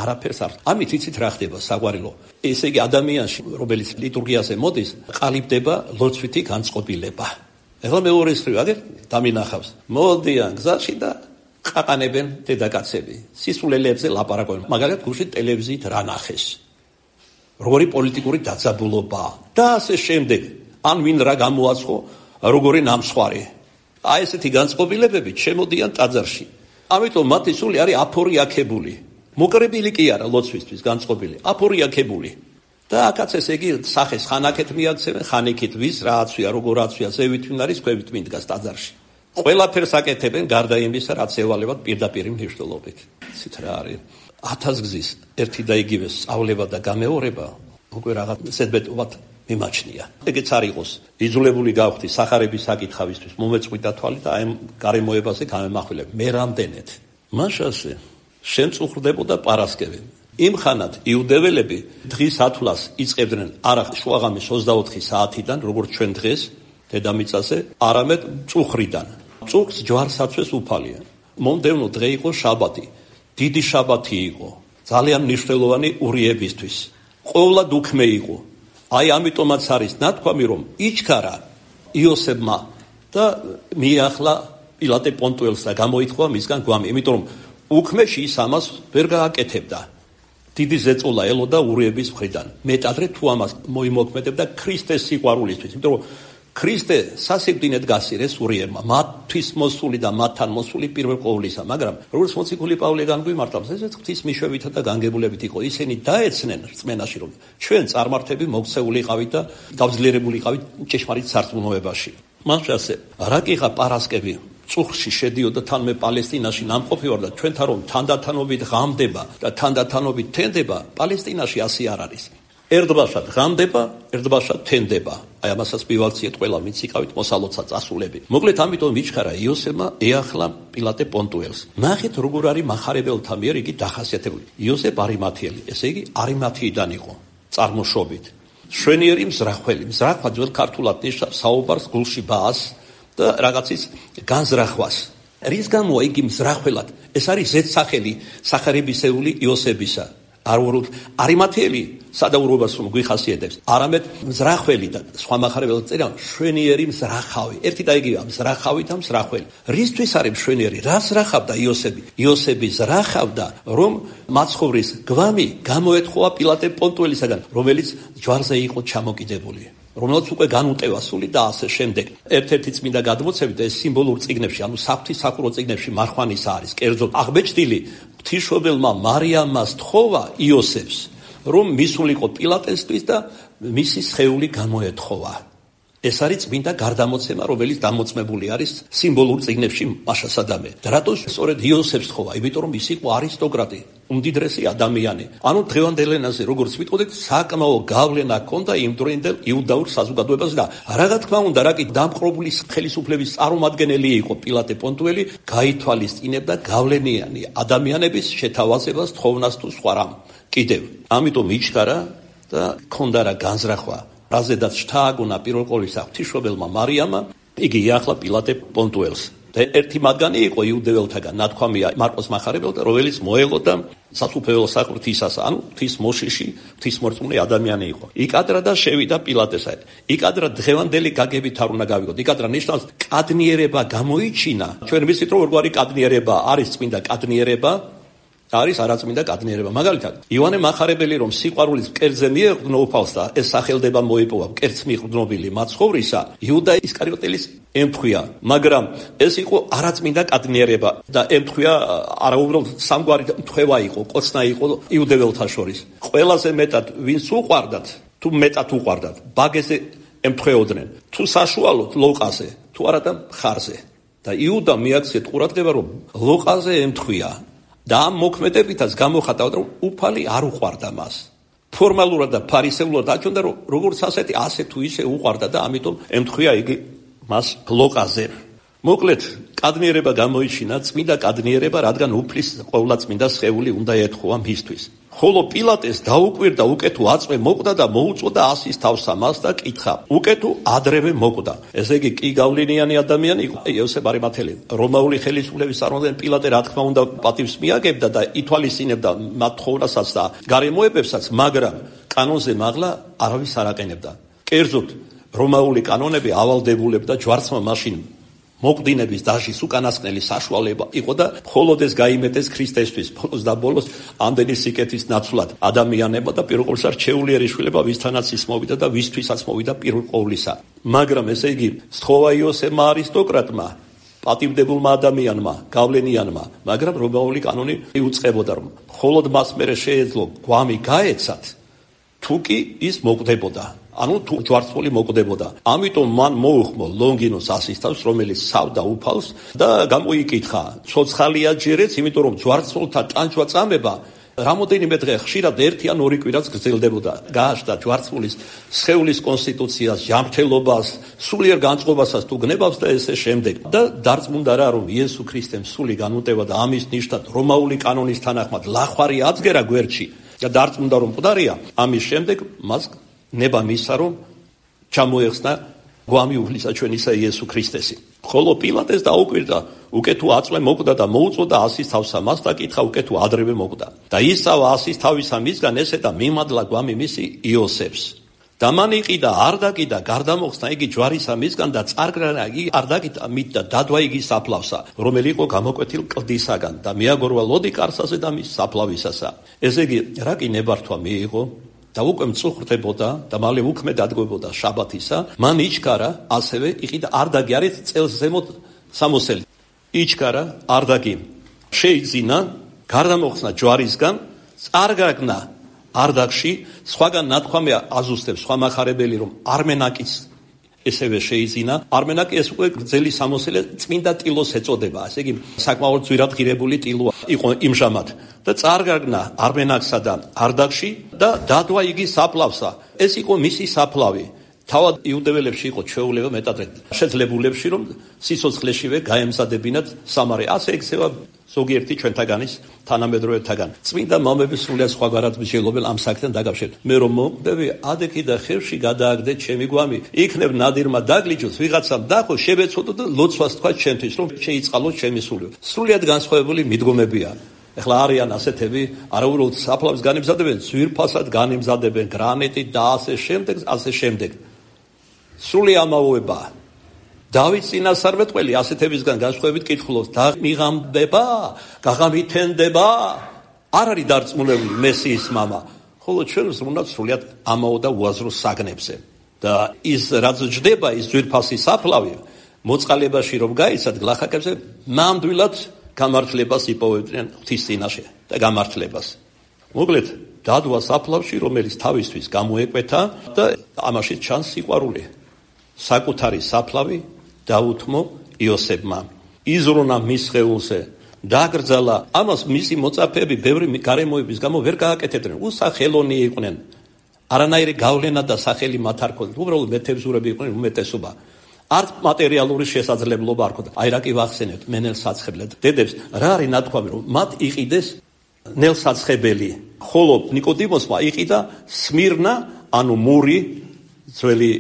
[SPEAKER 1] არაფერს არ ამით იცით რა ხდება საყვარელო ესე იგი ადამიანში რომელიც ლიტურგიაზე მოდის ყალიბდება ლოცვითი განწყობილება ეხლა მეორე მხრივ აგერ დამინახავს მოდიან გზაში და ყაყანებენ დედაკაცები, სისულელებზე ლაპარაკობენ, მაგალითად გუშინ ტელევიზიით რა ნახეს. როგორი პოლიტიკური დაძაბულობა და ასე შემდეგ. ან ვინ რა გამოაცხო, როგორი ნამსხვარი. აი ესეთი განწყობილებები შემოდიან ტაძარში. ამიტომ მათი სული არის აფორიაქებული. მოკრებილი კი არა ლოცვისთვის განწყობილი, აფორიაქებული. და აქაც ესე იგი სახეს ხან აქეთ მიაქცევენ, ხან იქით ვის რა აცვია, როგორ აცვია, ზევით ვინ არის, ქვევით ვინ დგას ტაძარში. ყველაფერს აკეთებენ გარდა იმისა, რაც ევალებათ პირდაპირ მნიშვნელობით. იცით რა არის? 1000 გზის ერთი და იგივე სწავლება და გამეორება უკვე რაღაც ზედმეტობად მიმაჩნია. ეგეც არ იყოს იძულებული გავხდი სახარების საკითხავისთვის მომეწყვიტა თვალი და აი გარემოებაზე გამემახვილებ. მე რამდენეთ მაშასე შემწუხრდებოდა პარასკევი. იმ ხანად იუდეველები დღის ათვლას იწყებდნენ არა შუაღამის 24 საათიდან, როგორც ჩვენ დღეს დედამიწაზე, არამედ წუხრიდან. წუხს ჯვარსაცვეს უფალია. მომდევნო დღე იყო შაბათი. დიდი შაბათი იყო. ძალიან მნიშვნელოვანი ურიებისთვის. ყოვლად უქმე იყო. აი ამიტომაც არის ნათქვამი, რომ იჩქარა იოსებმა და მიახლა პილატე პონტუელს და გამოითხოვა მისგან გვამი. იმიტომ რომ უქმეში ის ამას ვერ გააკეთებდა. დიდი ზეწოლა ელოდა ურიების მხრიდან. მეტადრე თუ ამას მოიმოქმედებდა ქრისტეს სიყვარულისთვის. იმიტომ რომ ქრისტე სასიკვდინედ გასირეს ურიებმა, მათთვის მოსული და მათთან მოსული პირველ ყოვლისა, მაგრამ როგორც მოციქული პავლე განგვიმარტავს, ესეც ღვთის მიშვებითა და განგებულებით იყო. ისინი დაეცნენ რწმენაში, რომ ჩვენ წარმართები მოქცეული იყავით და გავძლიერებული იყავით ჭეშმარიტ სარწმუნოებაში. მაშასე რა კიღა პარასკევი წუხში შედიოდა თან მე პალესტინაში ნამყოფი ვარ და ჩვენთან რომ თანდათანობით ღამდება და თანდათანობით თენდება, პალესტინაში ასე არ არის. ერთბაშად ღამდება, ერთბაშად თენდება. აი ამასაც მივაქციეთ ყველა მიციყავით მოსალოცა წასულები. მოკლედ ამიტომ იჩქარა იოსებმა ეახლა პილატე პონტუელს. ნახეთ როგორ არის მახარებელთა მიერ იგი დახასიათებული. იოსებ არიმათიელი, ესე იგი არიმათიიდან იყო წარმოშობით. შვენიერი მზრახველი. მზრახვა ძველ ქართულად ნიშნავს საუბარს, გულში ბაას და რაღაცის განზრახვას. რის გამოა იგი მზრახველად? ეს არის ზედსახელი სახარებისეული იოსებისა. არიმათიელი სადაურობას რომ გვიხასიათებს, არამედ მზრახველი და სხვა მახარებელთა წერა შვენიერი მზრახავი. ერთი და იგივე მზრახავი და მზრახველი. რისთვის არის მშვენიერი? რას ზრახავდა იოსები? იოსები ზრახავდა, რომ მაცხოვრის გვამი გამოეთხოვა პილატე პონტუელისაგან, რომელიც ჯვარზე იყო ჩამოკიდებული. რომელსაც უკვე განუტევა სული და ასე შემდეგ. ერთ-ერთი წმინდა გადმოცემით ეს სიმბოლურ წიგნებში, ანუ საფრთხისაქურო წიგნებში მარხვანის არის, კერძოდ აღბეჭდილი ღვთისმშობელმა მარიამას თხოვა იოსებს, რომ მისულიყო პილატესთვის და მისი სხეული გამოეთხოვა. ეს არის წმინდა გარდამოცემა, რომელიც დამოწმებული არის სიმბოლურ წიგნებში მაშასადამე. და რატო სწორედ იოსებს თხოვა? იმიტომ რომ ის იყო არისტოკრატი, უმდიდრესი ადამიანი. ანუ დღევანდელ ენაზე როგორც ვიტყოდით, საკმაო გავლენა ჰქონდა იმ დროინდელ იუდაურ საზოგადოებაზე და რა თქმა უნდა, რა კი დამპყრობული ხელისუფლების წარმომადგენელი იყო პილატე პონტუელი, გაითვალისწინებდა გავლენიანი ადამიანების შეთავაზებას, თხოვნას თუ სხვა რამ. კიდევ, ამიტომ იჩქარა და ჰქონდა რა განზრახვა. რაზედაც შთააგონა პირველ ყოვლისა ღვთისმშობელმა მარიამმა, იგი იახლა პილატე პონტუელს. და ერთი მათგანი იყო იუდეველთაგან, ნათქვამია მარკოს მახარებელთა, რომელიც მოელოდა სასუფეველო საყრთისას, ანუ ღვთის მოშიში, ღვთისმორწმუნე ადამიანი იყო. იკადრა და შევიდა პილატესა. იკადრა დღევანდელი გაგებით არ უნდა გავიგოთ. იკადრა ნიშნავს კადნიერება გამოიჩინა. ჩვენ ვიცით რომ როგორი კადნიერება არის წმინდა კადნიერება, არის არაწმინდა კადნიერება. მაგალითად, იოანე მახარებელი რომ სიყვარულის მკერდზე მიეყრდნო უფალს და ეს სახელდება მოიპოვა მკერდს მიყრდნობილი მაცხოვრისა, იუდა ისკარიოტელის ემთხვია, მაგრამ ეს იყო არაწმინდა კადნიერება და ემთხვია არაუბრალოდ სამგვარი მთხვევა იყო, კოცნა იყო იუდეველთა შორის. ყველაზე მეტად ვინც უყვარდათ, თუ მეტად უყვარდათ, ბაგეზე ემთხვეოდნენ, თუ საშუალოდ ლოყაზე, თუ არა და მხარზე. და იუდა მიაქციეთ ყურადღება რომ ლოყაზე ემთხვია. და ამ მოქმედებითაც გამოხატავდა, რომ უფალი არ უყვარდა მას. ფორმალურად და ფარისეულად აჩვენდა, რომ როგორც ასეთი, ასე თუ ისე უყვარდა და ამიტომ ემთხვია იგი მას ლოყაზე. მოკლედ, კადნიერება გამოიჩინა, წმინდა კადნიერება, რადგან უფლის ყოვლადწმინდა სხეული უნდა ეთხოვა მისთვის. ხოლო პილატეს დაუკვირდა უკეთო აწვე მოკვდა და მოუწოდა ასის თავსა მას და კითხა. უკეთო ადრევე მოკვდა. ესე იგი კი გავლენიანი ადამიანი იყო იოსებ არიმათელი. რომაული ხელისუფლების წარმომადგენელი პილატე რა თქმა უნდა პატივს მიაგებდა და ითვალისწინებდა მათ თხოვნასაც და გარემოებებსაც, მაგრამ კანონზე მაღლა არავის არ აყენებდა. კერძოდ რომაული კანონები ავალდებულებდა ჯვარცმა მაშინ მოყდინების დაჟის უკანასკნელი საშუალება იყო და მხოლოდ ეს გაიმეტეს ქრისტესთვის ბოლოს და ბოლოს ამდენი სიკეთის ნაცვლად ადამიანებმა და პირველ ყოვლისა რჩეული შვილება ვისთანაც ის მოვიდა და ვისთვისაც მოვიდა პირველ ყოვლისა. მაგრამ ესე იგი სთხოვა იოსებმა არისტოკრატმა, პატივდებულმა ადამიანმა, გავლენიანმა, მაგრამ რომაული კანონი იუწყებოდა რომ მხოლოდ მას მერე შეეძლო გვამი გაეცათ, თუ კი ის მოკვდებოდა. ანუ თუ ჯვარცმული მოკვდებოდა. ამიტომ მან მოუხმო ლონგინოს ასის თავს, რომელიც სავდა უფალს და გამოიკითხა, ცოცხალია ჯერეც, იმიტომ რომ ჯვარცმულთა ტანჯვა წამება რამოდენიმე დღე ხშირად ერთი ან ორი კვირაც გრძელდებოდა. გააჩნდა ჯვარცმულის სხეულის კონსტიტუციას, ჯანმრთელობას, სულიერ განწყობასაც თუ გნებავს და ესე შემდეგ. და დარწმუნდა რა რომ იესო ქრისტემ სული განუტევა და ამის ნიშნად რომაული კანონის თანახმად ლახვარი აწგერა გვერდში და დარწმუნდა რომ მკვდარია. ამის შემდეგ მას ნება მისცა რომ ჩამოეხსნა გვამი უფლისა ჩვენისა იესო ქრისტესი. ხოლო პილატეს დაუკვირდა, უკვე თუ აწვე მოკვდა და მოუწოდა ასის თავსა, მას დაკითხა უკვე თუ ადრევე მოკვდა. და ისწავა ასის თავისა მისგან ესე და მიმადლა გვამი მისი იოსებს. და მან იყიდა, არ დაკიდა, გარდამოხსნა იგი ჯვარისა მისგან და წარგრანა იგი არ დაკიდა მით და დადვა იგი საფლავსა, რომელი იყო გამოკვეთილ კლდისაგან და მიაგორვა ლოდი კარსაზე და მის საფლავისასა. ესე იგი, რა კი ნებართვა მიიღო? და უკვე მწუხრდებოდა და მალე უქმე დადგებოდა შაბათისა, მან იჩქარა, ასევე იყიდა არდაგი არის წელს ზემოთ სამოსელი. იჩქარა არდაგი, შეიძინა, გარდამოხსნა ჯვარისგან, წარგაგნა არდაგში, სხვაგან ნათქვამია აზუსტებს სხვა მახარებელი რომ არმენაკის ესევე შეიძინა. არმენაკი ეს უკვე გრძელი სამოსელი წმინდა ტილოს ეწოდება. ასე იგი საკმაოდ ძვირად ღირებული ტილო იყო იმჟამად. და წარგაგნა არმენაკსა და არდაგში და დადვა იგი საფლავსა. ეს იყო მისი საფლავი. თავად იუდეველებში იყო ჩვეულება მეტადრე შეძლებულებში რომ სიცოცხლეშივე გაემზადებინათ სამარე. ასე ექცევა ზოგიერთი ჩვენთაგანის თანამედროვეთაგან. წმინდა მამების სრულიად სხვაგვარად მსჯელობენ ამ საქმესთან დაკავშირებით. მე რომ მოკვდები, ადექი და ხევში გადააგდე ჩემი გვამი. იქნებ ნადირმა დაგლიჯოს, ვიღაცამ დახო, შებეცოდო და ლოცვას თქვა ჩემთვის, რომ შეიწყალოს ჩემი სული. სრულიად განსხვავებული მიდგომებია. ეხლა არიან ასეთები, არაუბრალოდ საფლავის განემზადებენ, ძვირფასად განემზადებენ, გრანიტით და ასე შემდეგ. სრული ამაოება. დავით წინასწარმეტყველი ასეთებისგან განსხვავებით კითხულობს, და მიღამდება, გაღამითენდება, არ არის დარწმუნებული მესიის მამა. ხოლო ჩვენ ვზრუნავთ სრულად ამაო და უაზრო საგნებზე. და ის რაც ჯდება, ის ძვირფასი საფლავი, მოწყალებაში რომ გაიცად გლახაკებზე, ნამდვილად გამართლებას იპოვებდნენ ღვთის წინაშე და გამართლებას. მოკლედ, დადვა საფლავში, რომელიც თავისთვის გამოეკვეთა და ამაში ჩანს სიყვარული. საკუთარი საფლავი დაუთმო იოსებმა. იზრუნა მის სხეულზე, დაგრძალა. ამას მისი მოწაფეები ბევრი გარემოების გამო ვერ გააკეთებდნენ. უსახელონი იყვნენ. არანაირი გავლენა და სახელი მათ არ ჰქონდათ. უბრალოდ მეთევზურები იყვნენ უმეტესობა. არც მატერიალური შესაძლებლობა არ ჰქონდათ. აი რა კი ვახსენებთ, მენელსაცხებლად. დედებს რა არის ნათქვამი, რომ მათ იყიდეს ნელსაცხებელი. ხოლო ნიკოდიმოსმა იყიდა სმირნა, ანუ მური, ძველი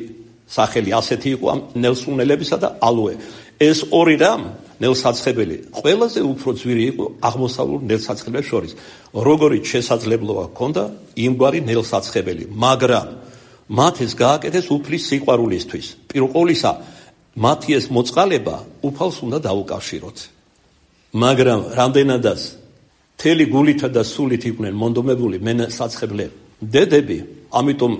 [SPEAKER 1] სახელი ასეთი იყო ამ ნელსუნელებისა და ალოე. ეს ორი რამ ნელსაცხებელი ყველაზე უფრო ძვირი იყო აღმოსავლურ ნელსაცხებლებს შორის. როგორიც შესაძლებლობა ჰქონდა იმგვარი ნელსაცხებელი, მაგრამ მათ ეს გააკეთეს უფლის სიყვარულისთვის. პირველ ყოვლისა მათი ეს მოწყალება უფალს უნდა დაუკავშიროთ. მაგრამ რამდენადაც მთელი გულითა და სულით იყვნენ მონდომებული ნელსაცხებლე დედები, ამიტომ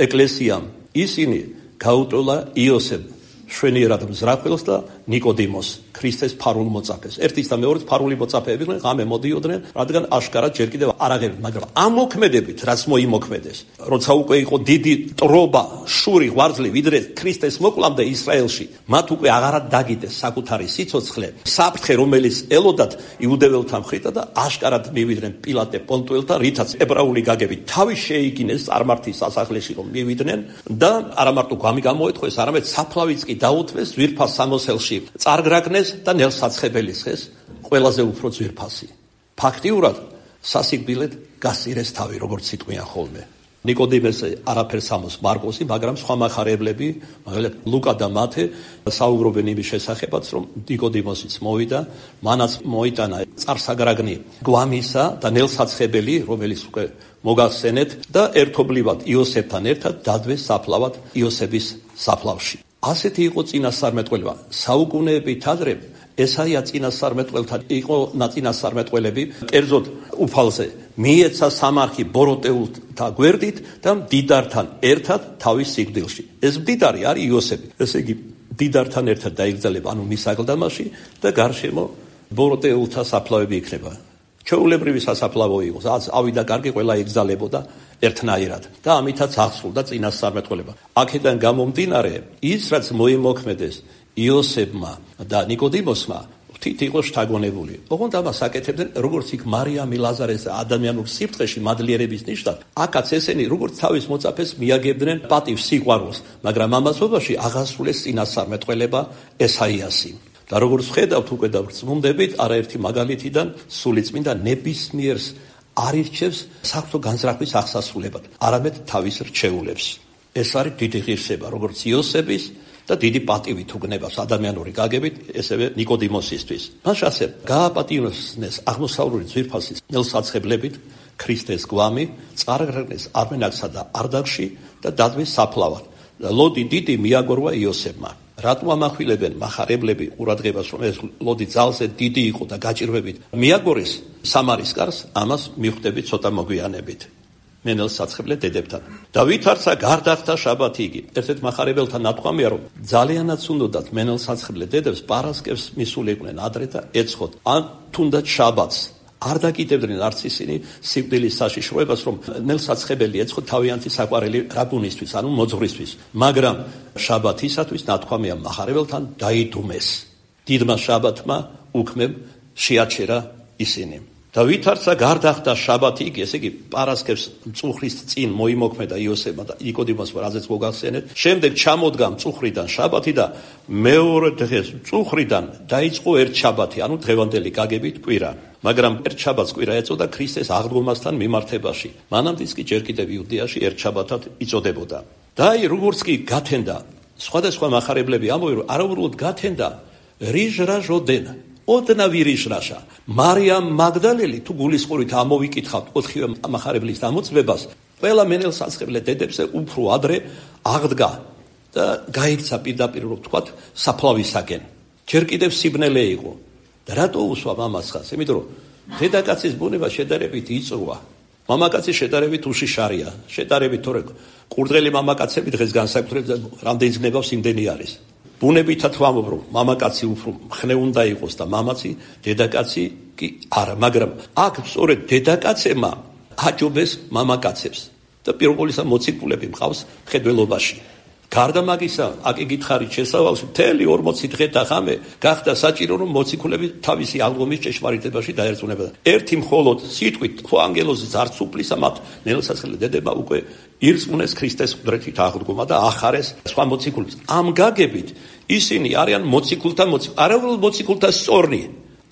[SPEAKER 1] ეკლესიამ ისინი გაუტოლა იოსებ შვენიერად მზრახველს და ნიკოდიმოს, ქრისტეს ფარულ მოწაფეს. ერთის და მეორეს ფარული მოწაფეები იყვნენ, ღამე მოდიოდნენ, რადგან აშკარად ჯერ კიდევ არ აღებდნენ, მაგრამ ამ მოქმედებით, რაც მოიმოქმედეს, როცა უკვე იყო დიდი ტრობა, შური, ღვარძლი, ვიდრე ქრისტეს მოკლამდე ისრაელში, მათ უკვე აღარად დაგიდეს საკუთარი სიცოცხლე, საფრთხე, რომელიც ელოდათ იუდეველთა მხრიდან და აშკარად მივიდნენ პილატე პონტუელთა, რითაც ებრაული გაგებით თავი შეიგინეს წარმართის სასახლეში, რომ მივიდნენ და არა მარტო გვამი გამოეთხოვეს, არამედ საფლავიც კი დაუთმეს ძვირფას სამოსელში, წარგრაგნეს და ნელსაცხებელის ხეს ყველაზე უფრო ძვირფასი. ფაქტიურად სასიკვდილედ გასწირეს თავი, როგორც სიტყვიან ხოლმე. ნიკოდიმეს არაფერს ამოს მარკოსი, მაგრამ სხვა მახარებლები, მაგალითად ლუკა და მათე საუბრობენ იმის შესახებაც, რომ ნიკოდიმოსიც მოვიდა, მანაც მოიტანა წარსაგრაგნი გვამისა და ნელსაცხებელი, რომელიც უკვე მოგახსენეთ და ერთობლივად იოსებთან ერთად დადვეს საფლავად იოსების საფლავში. ასეთი იყო წინასწარმეტყველება. საუკუნეებით ადრე ესაია წინასწარმეტყველთან იყო ნაწინასწარმეტყველები, კერძოდ უფალზე მიეცა სამარხი ბოროტეულთა გვერდით და მდიდართან ერთად თავის სიკვდილში. ეს მდიდარი არის იოსები. ესე იგი, მდიდართან ერთად დაიგრძელება, ანუ მის აკლდამაში და გარშემო ბოროტეულთა საფლავები იქნება. ჩვეულებრივი სასაფლავო იყო, ავიდა კარგი, ყველა იგზალებოდა ერთნაირად და ამითაც აღსრულდა წინასწარმეტყველება. აქედან გამომდინარე, ის რაც მოიმოქმედეს იოსებმა და ნიკოდიმოსმა, თვით იყო შთაგონებული. ოღონდ ამას აკეთებდნენ როგორც იქ მარიამი ლაზარეს ადამიანურ სიბრტყეში მადლიერების ნიშნად, აქაც ესენი როგორც თავის მოწაფეს მიაგებდნენ პატივს, სიყვარულს, მაგრამ ამასობაში აღასრულეს წინასწარმეტყველება ესაიასი. და როგორც ხედავთ უკვე და ვრწმუნდებით, არაერთი მაგალითიდან სულიწმინდა ნებისმიერს არ ირჩევს საღვთო განზრახვის აღსასრულებად, არამედ თავის რჩეულებს. ეს არის დიდი ღირსება, როგორც იოსების და დიდი პატივი თუ გნებას ადამიანური გაგებით, ესევე ნიკოდიმოსისთვის. მას ასე გააპატივნეს აღმოსავლური ძვირფასის ნელსაცხებლებით ქრისტეს გვამი, წარგრაგნეს არმენაკსა და არდაგში და დადვეს საფლავად. ლოდი დიდი მიაგორვა იოსებმა. რატომ ამახვილებენ მახარებლები ყურადღებას, რომ ეს ლოდი ძალზე დიდი იყო და გაჭირვებით მიაგორეს სამარის კარს, ამას მიხვდებით ცოტა მოგვიანებით. მენელსაცხებლე დედებთან. და ვითარცა გარდახთა შაბათი იგი. ერთ-ერთ მახარებელთან ნათქვამია, რომ ძალიანაც უნდათ მენელსაცხებლე დედებს პარასკევს მისულიყვნენ ადრე და ეცხოთ, ან თუნდაც შაბათს. არ დაკიდებდნენ არც ისინი სიკვდილის საშიშროებას, რომ ნელსაცხებელი ეცხოთ თავიანთი საყვარელი რაბუნისთვის, ანუ მოძღვრისთვის. მაგრამ შაბათისათვის ნათქვამია მახარებელთან დაიდუმეს. დიდმა შაბათმა უქმებ შეაჩერა ისინი. და ვითარცა გარდახდა შაბათი იგი, ესე იგი პარასკევს მწუხრის წინ მოიმოქმედა იოსებმა და ნიკოდიმოსმა, რაზეც მოგახსენეთ. შემდეგ ჩამოდგა მწუხრიდან შაბათი და მეორე დღეს მწუხრიდან დაიწყო ერთ შაბათი, ანუ დღევანდელი გაგებით კვირა. მაგრამ ერთ შაბათს კვირა ეწოდა ქრისტეს აღდგომასთან მიმართებაში. მანამდეც კი ჯერ კიდევ იუდეაში ერთ შაბათად იწოდებოდა. და აი როგორც კი გათენდა, სხვადასხვა მახარებლები ამბობენ, რომ არაუბრალოდ გათენდა რიჟრაჟოდენ ოდნა ვირიშრაშა. მარიამ მაგდალელი თუ გულისყურით ამოვიკითხავთ 4-ვე მახარებლის ამოწმებას, ყველა მენელსაცხებლე დედებზე უფრო ადრე აღდგა და გაიქცა პირდაპირ რომ თქვათ საფლავისაკენ. ჯერ კიდევ სიბნელე იყო. და რატო უსვამ ამას ხას? იმიტომ რომ დედაკაცის ბუნება შედარებით იწრუა. მამაკაცი შედარებით უშიშარია. შედარებით თორე ყურდღელი მამაკაცები დღეს განსაკუთრებით რამდენი გნებავს იმდენი არის. ბუნებითად ვამბობ, რომ მამაკაცი უფრო მხნე უნდა იყოს და მამაცი, დედაკაცი კი არა, მაგრამ აქ სწორედ დედაკაცებმა აჯობეს მამაკაცებს და პირველისა მოციქულები მყავს მხედველობაში. გარდა მაგისა, აქ იგითხარით შესავალში, მთელი 40 დღე და ღამე გახდა საჭირო, რომ მოციქულები თავისი აღდგომის ჭეშმარიტებაში დაერწმუნებოდა. ერთი მხოლოდ სიტყვით, ხო ანგელოზის არც უფლისა მათ ნელსაცხებლე დედებმა უკვე ირწმუნეს ქრისტეს ყდრეთით აღდგომა და ახარეს სხვა მოციქულებს. ამ გაგებით ისინი არიან მოციქულთა არაუბრალოდ მოციქულთა სწორნი,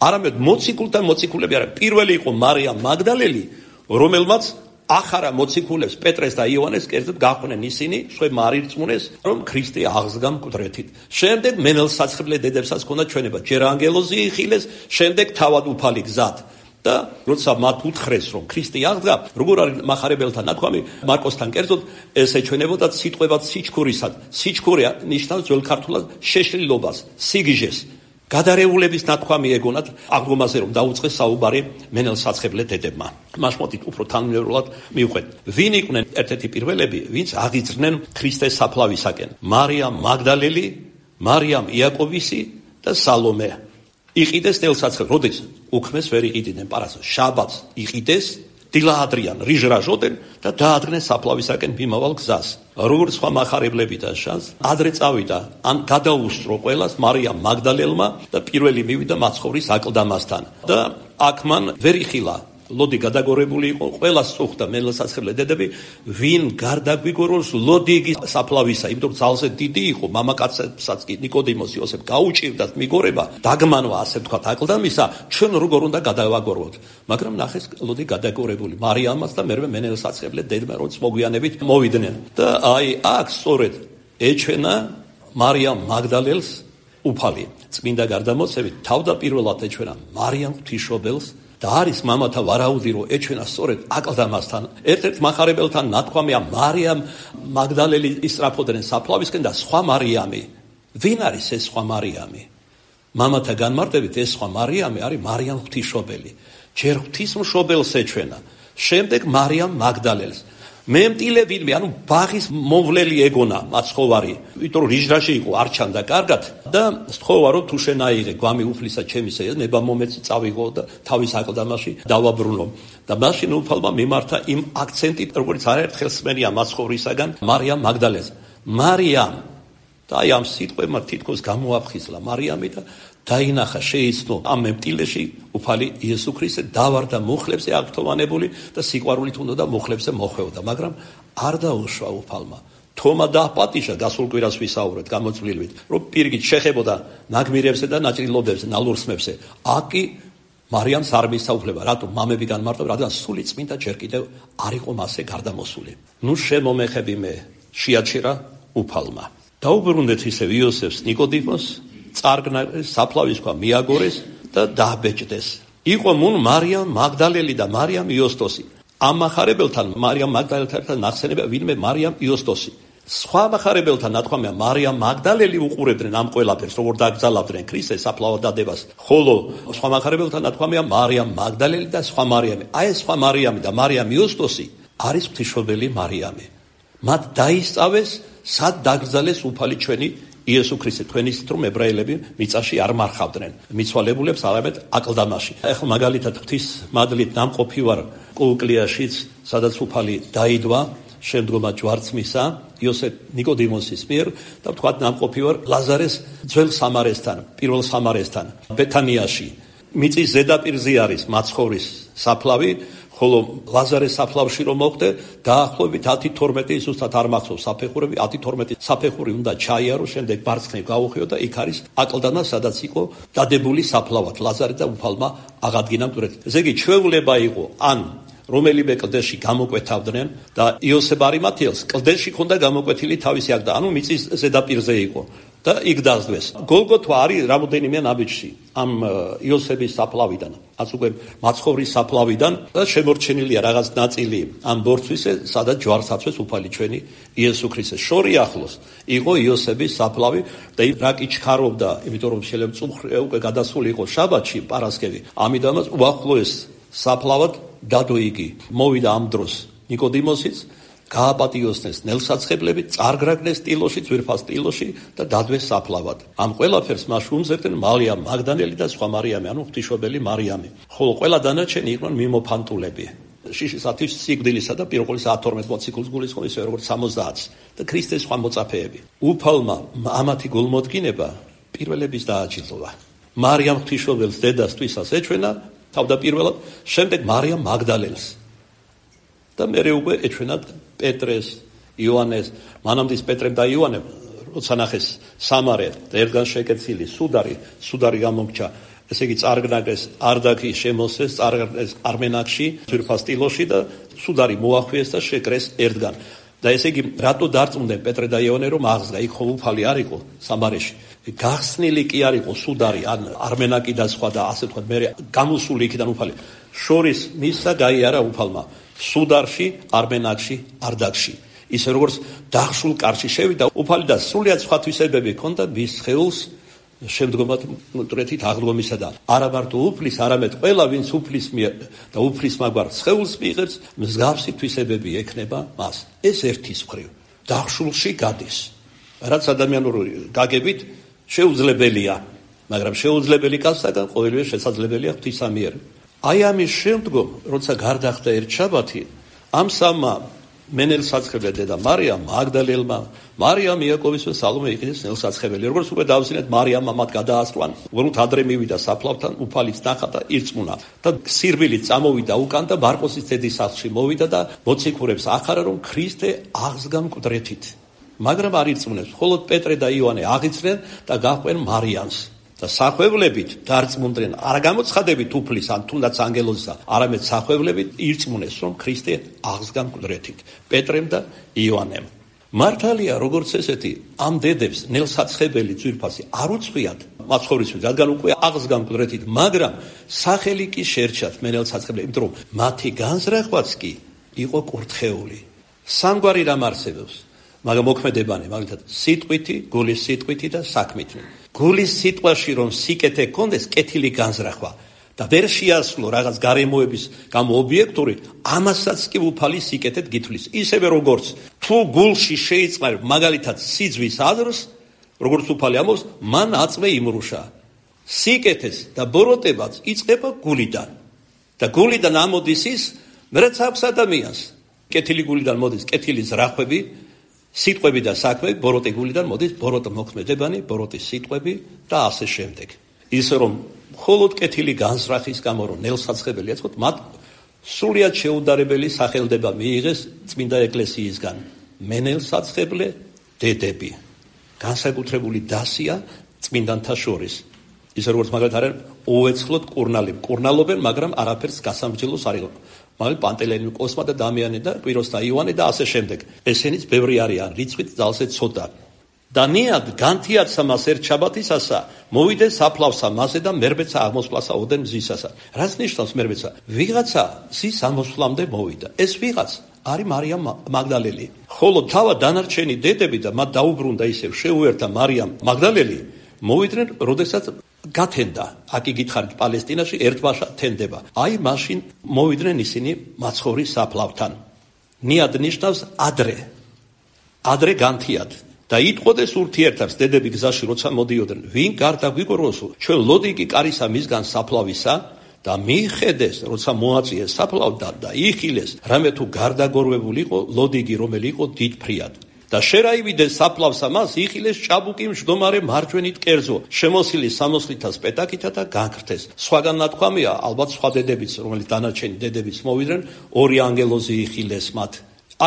[SPEAKER 1] არამედ მოციქულთა მოციქულები არა. პირველი იყო მარიამ მაგდალელი, რომელმაც ახარა მოციქულებს პეტრეს და იოანეს კერძოდ გაყვნენ ისინი, შვებმა არ ირწმუნეს, რომ ქრისტე აღსდგა მკვდრეთით. შემდეგ მენელსაცხებლე დედებსაც ჰქონდა ჩვენება, ჯერ ანგელოზი იხილეს, შემდეგ თავად უფალი გზად. და როცა მათ უთხრეს, რომ ქრისტე აღსდგა, როგორ არის მახარებელთა ნათქვამი, მარკოსთან კერძოდ ეს ეჩვენებოდა სიტყვებად სიჩქურისად. სიჩქური ნიშნავს ძველ ქართულად შეშლილობას, სიგიჟეს. გადარეულების ნათქვამი ეგონათ აღდგომაზე, რომ დაუწყეს საუბარი მენელსაცხებლე დედებმა. მას მოდით უფრო თანმიმდევრულად მივყვეთ. ვინ იყვნენ ერთ-ერთი პირველები, ვინც აღიძრნენ ქრისტეს საფლავისაკენ? მარიამ მაგდალელი, მარიამ იაკობისი და სალომე. იყიდეს ნელსაცხებლე, როდის უქმეს ვერ იყიდნენ პარასკევს, შაბათს იყიდეს, დილა ადრიან რიჟრაჟოდენ და დაადგნენ საფლავისაკენ მიმავალ გზას. როგორც სხვა მახარებლები და შანს, ადრე წავიდა, ან გადაუსწრო ყველას მარიამ მაგდალელმა და პირველი მივიდა მაცხოვრის აკლდამასთან. და აქ მან ვერ იხილა, ლოდი გადაგორებული იყო, ყველას წუხდა მენელსაცხებლე დედები, ვინ გარდაგვიგოროს ლოდი იგი საფლავისა, იმიტომ რომ ძალზე დიდი იყო, მამაკაცებსაც კი ნიკოდიმოს იოსებ გაუჭირდათ მიგორება, დაგმანვა ასე ვთქვათ აკლდამისა, ჩვენ როგორ უნდა გადავაგოროთ. მაგრამ ნახეს ლოდი გადაგორებული მარიამაც და მერვე მენელსაცხებლე დედმა, როც მოგვიანებით მოვიდნენ. და აი აქ სწორედ ეჩვენა მარიამ მაგდალელს უფალი. წმინდა გარდამოცებით თავდაპირველად ეჩვენა მარიამ ღვთისმშობელს და არის მამათა ვარაუდი, რომ ეჩვენა სწორედ აკლდამასთან. ერთ-ერთ მახარებელთან ნათქვამია მარიამ მაგდალელი ისწრაფოდნენ საფლავისკენ და სხვა მარიამი, ვინ არის ეს სხვა მარიამი? მამათა განმარტებით ეს სხვა მარიამი არის მარიამ ღვთისმშობელი. ჯერ ღვთისმშობელს ეჩვენა, შემდეგ მარიამ მაგდალელს. მემტილე ვინმე, ანუ ბაღის მომვლელი ეგონა მაცხოვარი, იმიტომ რომ რიჟრაში იყო, არ ჩანდა კარგად და სთხოვა რომ თუ შენ აიღე გვამი უფლისა ჩემისა, ნება მომეცი წავიღო და თავის აკლდამაში დავაბრუნო. და მაშინ უფალმა მიმართა იმ აქცენტით, როგორც არაერთხელ სმენია მაცხოვრისაგან მარიამ მაგდალელს. მარიამ და აი ამ სიტყვებმა თითქოს გამოაფხიზლა მარიამი და დაინახა შეიცნო ამ მემტილეში უფალი იესო ქრისტე დავარდა მუხლებზე აღფრთოვანებული და სიყვარულით უნდა მუხლებზე მოხვეოდა, მაგრამ არ დაუშვა უფალმა. თომა დააპატიჟა, გასულ კვირას ვისაუბრეთ გამოწვლილვით, რომ პირგით შეხებოდა ნაგმირებზე და ნაწილობებზე, ნალურსმებზე. აკი მარიამს არ მისაუბრება, რატომ მამები განმარტავენ, რადგან სული წმინდა ჯერ კიდევ არ იყო მასზე გარდამოსული. ნუ შემომეხები მე, შეაჩერა უფალმა. დაუბრუნდეთ ისევ იოსებს ნიკოდიმოს, წარგნა საფლავის ქვა მიაგორეს და დააბეჭდეს. იყო მუნ მარიამ მაგდალელი და მარიამ იოსტოსი. ამ מחარებელთან მარიამ მაგდალელთან ნახსენებია ვინმე მარიამ იოსტოსი. სხვა מחარებელთან ნათქვამია მარიამ მაგდალელი უყურებდნენ ამ ყველაფერს, როგორ დაკრძალავდნენ ქრისტეს საფლავად დადებას. ხოლო სხვა מחარებელთან ნათქვამია მარიამ მაგდალელი და სხვა მარიამი. აი ეს სხვა მარიამი და მარიამ იოსტოსი არის ღვთისმშობელი მარიამი. მათ დაისწავეს სად დაკრძალეს უფალი ჩვენი იესო ქრისტე. თქვენ იცით რომ ებრაელები მიწაში არ მარხავდნენ მიცვალებულებს, არამედ აკლდამაში. ეხლა მაგალითად ღვთის მადლით ნამყოფი ვარ კოუკლიაში, სადაც უფალი დაიდვა შემდგომად ჯვარცმისა იოსებ ნიკოდიმოსის მიერ და თქვათ ნამყოფი ვარ ლაზარეს ძველ სამარესთან, პირველ სამარესთან ბეთანიაში. მიწის ზედაპირზე არის მაცხოვრის საფლავი, ხოლო ლაზარეს საფლავში რომ მოხვდე, დაახლოებით 10-12 ზუსტად არ მახსოვს საფეხურები, 10-12 საფეხური უნდა ჩაიარო, შემდეგ ბარცხნივ გაუხიო და იქ არის აკლდამა, სადაც იყო დადებული საფლავად ლაზარე და უფალმა აღადგინა მკვდრეთი. ესე იგი, ჩვეულება იყო ან რომელიმე კლდეში გამოკვეთავდნენ და იოსებ არიმათიელს კლდეში ჰქონდა გამოკვეთილი თავისი აკლდამა, ანუ მიწის ზედაპირზე იყო. და იქ დაასდვეს. გოლგოთა არის რამოდენიმე ნაბიჯში ამ იოსების საფლავიდან, რაც უკვე მაცხოვრის საფლავიდან და შემორჩენილია რაღაც ნაწილი ამ ბორცვისა, სადაც ჯვარს აცვეს უფალი ჩვენი იესო ქრისტე. შორი ახლოს იყო იოსების საფლავი და რა კი ჩქარობდა, იმიტომ რომ შეიძლება წუხრი უკვე გადასული იყო შაბათში, პარასკევი. ამიტომაც უახლოეს საფლავად დადო იგი. მოვიდა ამ დროს ნიკოდიმოსიც, გააპატიოსნეს ნელსაცხებლები, წარგრაგნეს ტილოში, ძვირფას ტილოში და დადვეს საფლავად. ამ ყველაფერს მას უმზერდნენ მარიამ მაგდალელი და სხვა მარიამი, ანუ ღვთისმშობელი მარიამი. ხოლო ყველა დანარჩენი იყვნენ მიმოფანტულები. შიშისათვის სიკვდილისა და პიროყოლის 12 მოციქულს გულისხმობს, ისე როგორც 70 და ქრისტეს სხვა მოწაფეები. უფალმა ამათი გულმოდგინება პირველების დააჯილდოვა. მარიამ ღვთისმშობელს დედას თვისას ეჩვენა თავდაპირველად, შემდეგ მარიამ მაგდალელს. და მერე უკვე ეჩვენა პეტრეს, იოანეს, მანამდე პეტრემ და იოანემ, როცა ნახეს სამარე და ერთგან შეკეცილი სუდარი გამომრჩა, ესე იგი წარგნაგეს არდაქი შემოსეს, წარგნაგეს არმენაკში, ძვირფას ტილოში და სუდარი მოახვიეს და შეკრეს ერთგან. და ესე იგი რატო დარწმუნდნენ პეტრე და იოანე რომ აღზრდა, იქ ხო უფალი არ იყო სამარეში. გახსნილი კი არ იყო სუდარი, ან არმენაკი და სხვა და ასე ვთქვათ, მერე გამოსული იქიდან უფალი. შორის მისცა გაიარა უფალმა სუდარში, არმენაკში, არდაქში. ისე როგორც დახშულ კარში შევიდა უფალი და სრულიად სხვა თვისებები ჰქონდა მის სხეულს შემდგომად მკვდრეთით აღდგომისა და არა მარტო უფლის, არამედ ყველა ვინც უფლის მიერ და უფლის მაგვარ სხეულს მიიღებს, მსგავსი თვისებები ექნება მას. ეს ერთის მხრივ დახშულში გადის. რაც ადამიანური გაგებით შეუძლებელია, მაგრამ შეუძლებელი კაცსაგან ყოველივე შესაძლებელია ღვთისა მიერ. აი ამის შემდგომ, როცა გარდახდა ერთ შაბათი, ამ სამმა მენელსაცხებელმა დედა მარიამ მაგდალელმა, მარიამ იაკოვის და სალომე იყიდეს ნელსაცხებელი. როგორც უკვე დავსინეთ, მარიამმა მათ გადაასწრა, უბრალოდ ადრე მივიდა საფლავთან, უფალიც ნახა და ირწმუნა. და სირბილით წამოვიდა უკან და მარკოსის დედის სახლში მოვიდა და მოციქურებს ახარა, რომ ქრისტე აღსდგა მკვდრეთით. მაგრამ არ ირწმუნებს. მხოლოდ პეტრე და იოანე აღიძრნენ და გაჰყვნენ მარიამს. და სახვევლებით დარწმუნდნენ, არ გამოცხადებით უფლის ან თუნდაც ანგელოზისა, არამედ სახვევლებით ირწმუნეს, რომ ქრისტე აღსდგა მკვდრეთით. პეტრემ და იოანემ. მართალია, როგორც ესეთი, ამ დედებს ნელსაცხებელი ძვირფასი არ უცხვიათ მაცხოვრისმით, რადგან უკვე აღსდგა მკვდრეთით, მაგრამ სახელი კი შერჩათ მენელსაცხებელი, იმიტომ რომ მათი განზრახვაც კი იყო კურთხეული. სამგვარი რამ არსებობს. მაგრამ მოქმედებანი, მაგალითად, სიტყვითი, გულის სიტყვითი და საქმითი. გულის სიტყვაში რომ სიკეთე გქონდეს, კეთილი განზრახვა და ვერ შეასრულო რაღაც გარემოების გამო ობიექტური, ამასაც კი უფალი სიკეთეთ გითვლის. ისევე როგორც თუ გულში შეიწყარ მაგალითად სიძვის აზრს, როგორც უფალი ამბობს, მან აწმე იმრუშა. სიკეთეს და ბოროტებაც იწყება გულიდან. და გულიდან ამოდის ის, რაც აქვს ადამიანს. კეთილი გულიდან მოდის კეთილი ზრახვები, სიტყვები და საქმეები, ბოროტი გულიდან მოდის ბოროტ მოქმედებანი, ბოროტის სიტყვები და ასე შემდეგ. ისე რომ მხოლოდ კეთილი განზრახის გამო რომ ნელსაცხებელი ეწყოთ, მათ სრულიად შეუდარებელი სახელდება მიიღეს წმინდა ეკლესიისგან. მენელსაცხებლე დედები. განსაკუთრებული დასია წმინდანთა შორის. ისე როგორც მაგალითად არიან უეცხლოდ კურნალები. კურნალობენ, მაგრამ არაფერს გასამბრძოლოს არ იღებენ. მაგრამ პანტელეიმონი, კოსმა და დამიანე და კვიროს და იოანე და ასე შემდეგ. ესენიც ბევრი არიან, რიცხვით ძალზე ცოტა. და ნიად განთიაცა მას ერთ შაბათისასა, მოვიდეს საფლავსა მასე და მერბეცა აღმოსვლასა ოდენ მზისასა. რაც ნიშნავს მერბეცა? ვიღაცა მზის აღმოსვლამდე მოვიდა. ეს ვიღაც არის მარიამ მაგდალელი. ხოლო თავად დანარჩენი დედები და მათ დაუბრუნდა ისევ შეუერთა მარიამ მაგდალელი, მოვიდნენ, როდესაც გათენდა. აქ იგითხარით პალესტინაში ერთბაშა თენდება. აი მაშინ მოვიდნენ ისინი მაცხოვრის საფლავთან. ნიად ნიშნავს ადრე. ადრე განთიად. და იტყოდეს ურთიერთებს დედები გზაში როცა მოდიოდნენ, ვინ გარდა გვიგოროსო, ჩვენ ლოდიგი კარისა მისგან საფლავისა და მიხედეს, როცა მოაწიეს საფლავთან და იხილეს, რამე თუ გარდაგორვებული იყო ლოდიგი, რომელი იყო დიდფრიად. და შერაივიდეს საფლავსა მას იხილეს ჭაბუკი მжდომარე მარჯვენით კერძო, შემოსილი სამოსლითა სპეტაკითა და განქრთეს. სხვაგან ნათქვამია, ალბათ სხვა დედებიც, რომელიც დანარჩენი დედებიც მოვიდნენ, ორი ანგელოზი იხილეს მათ.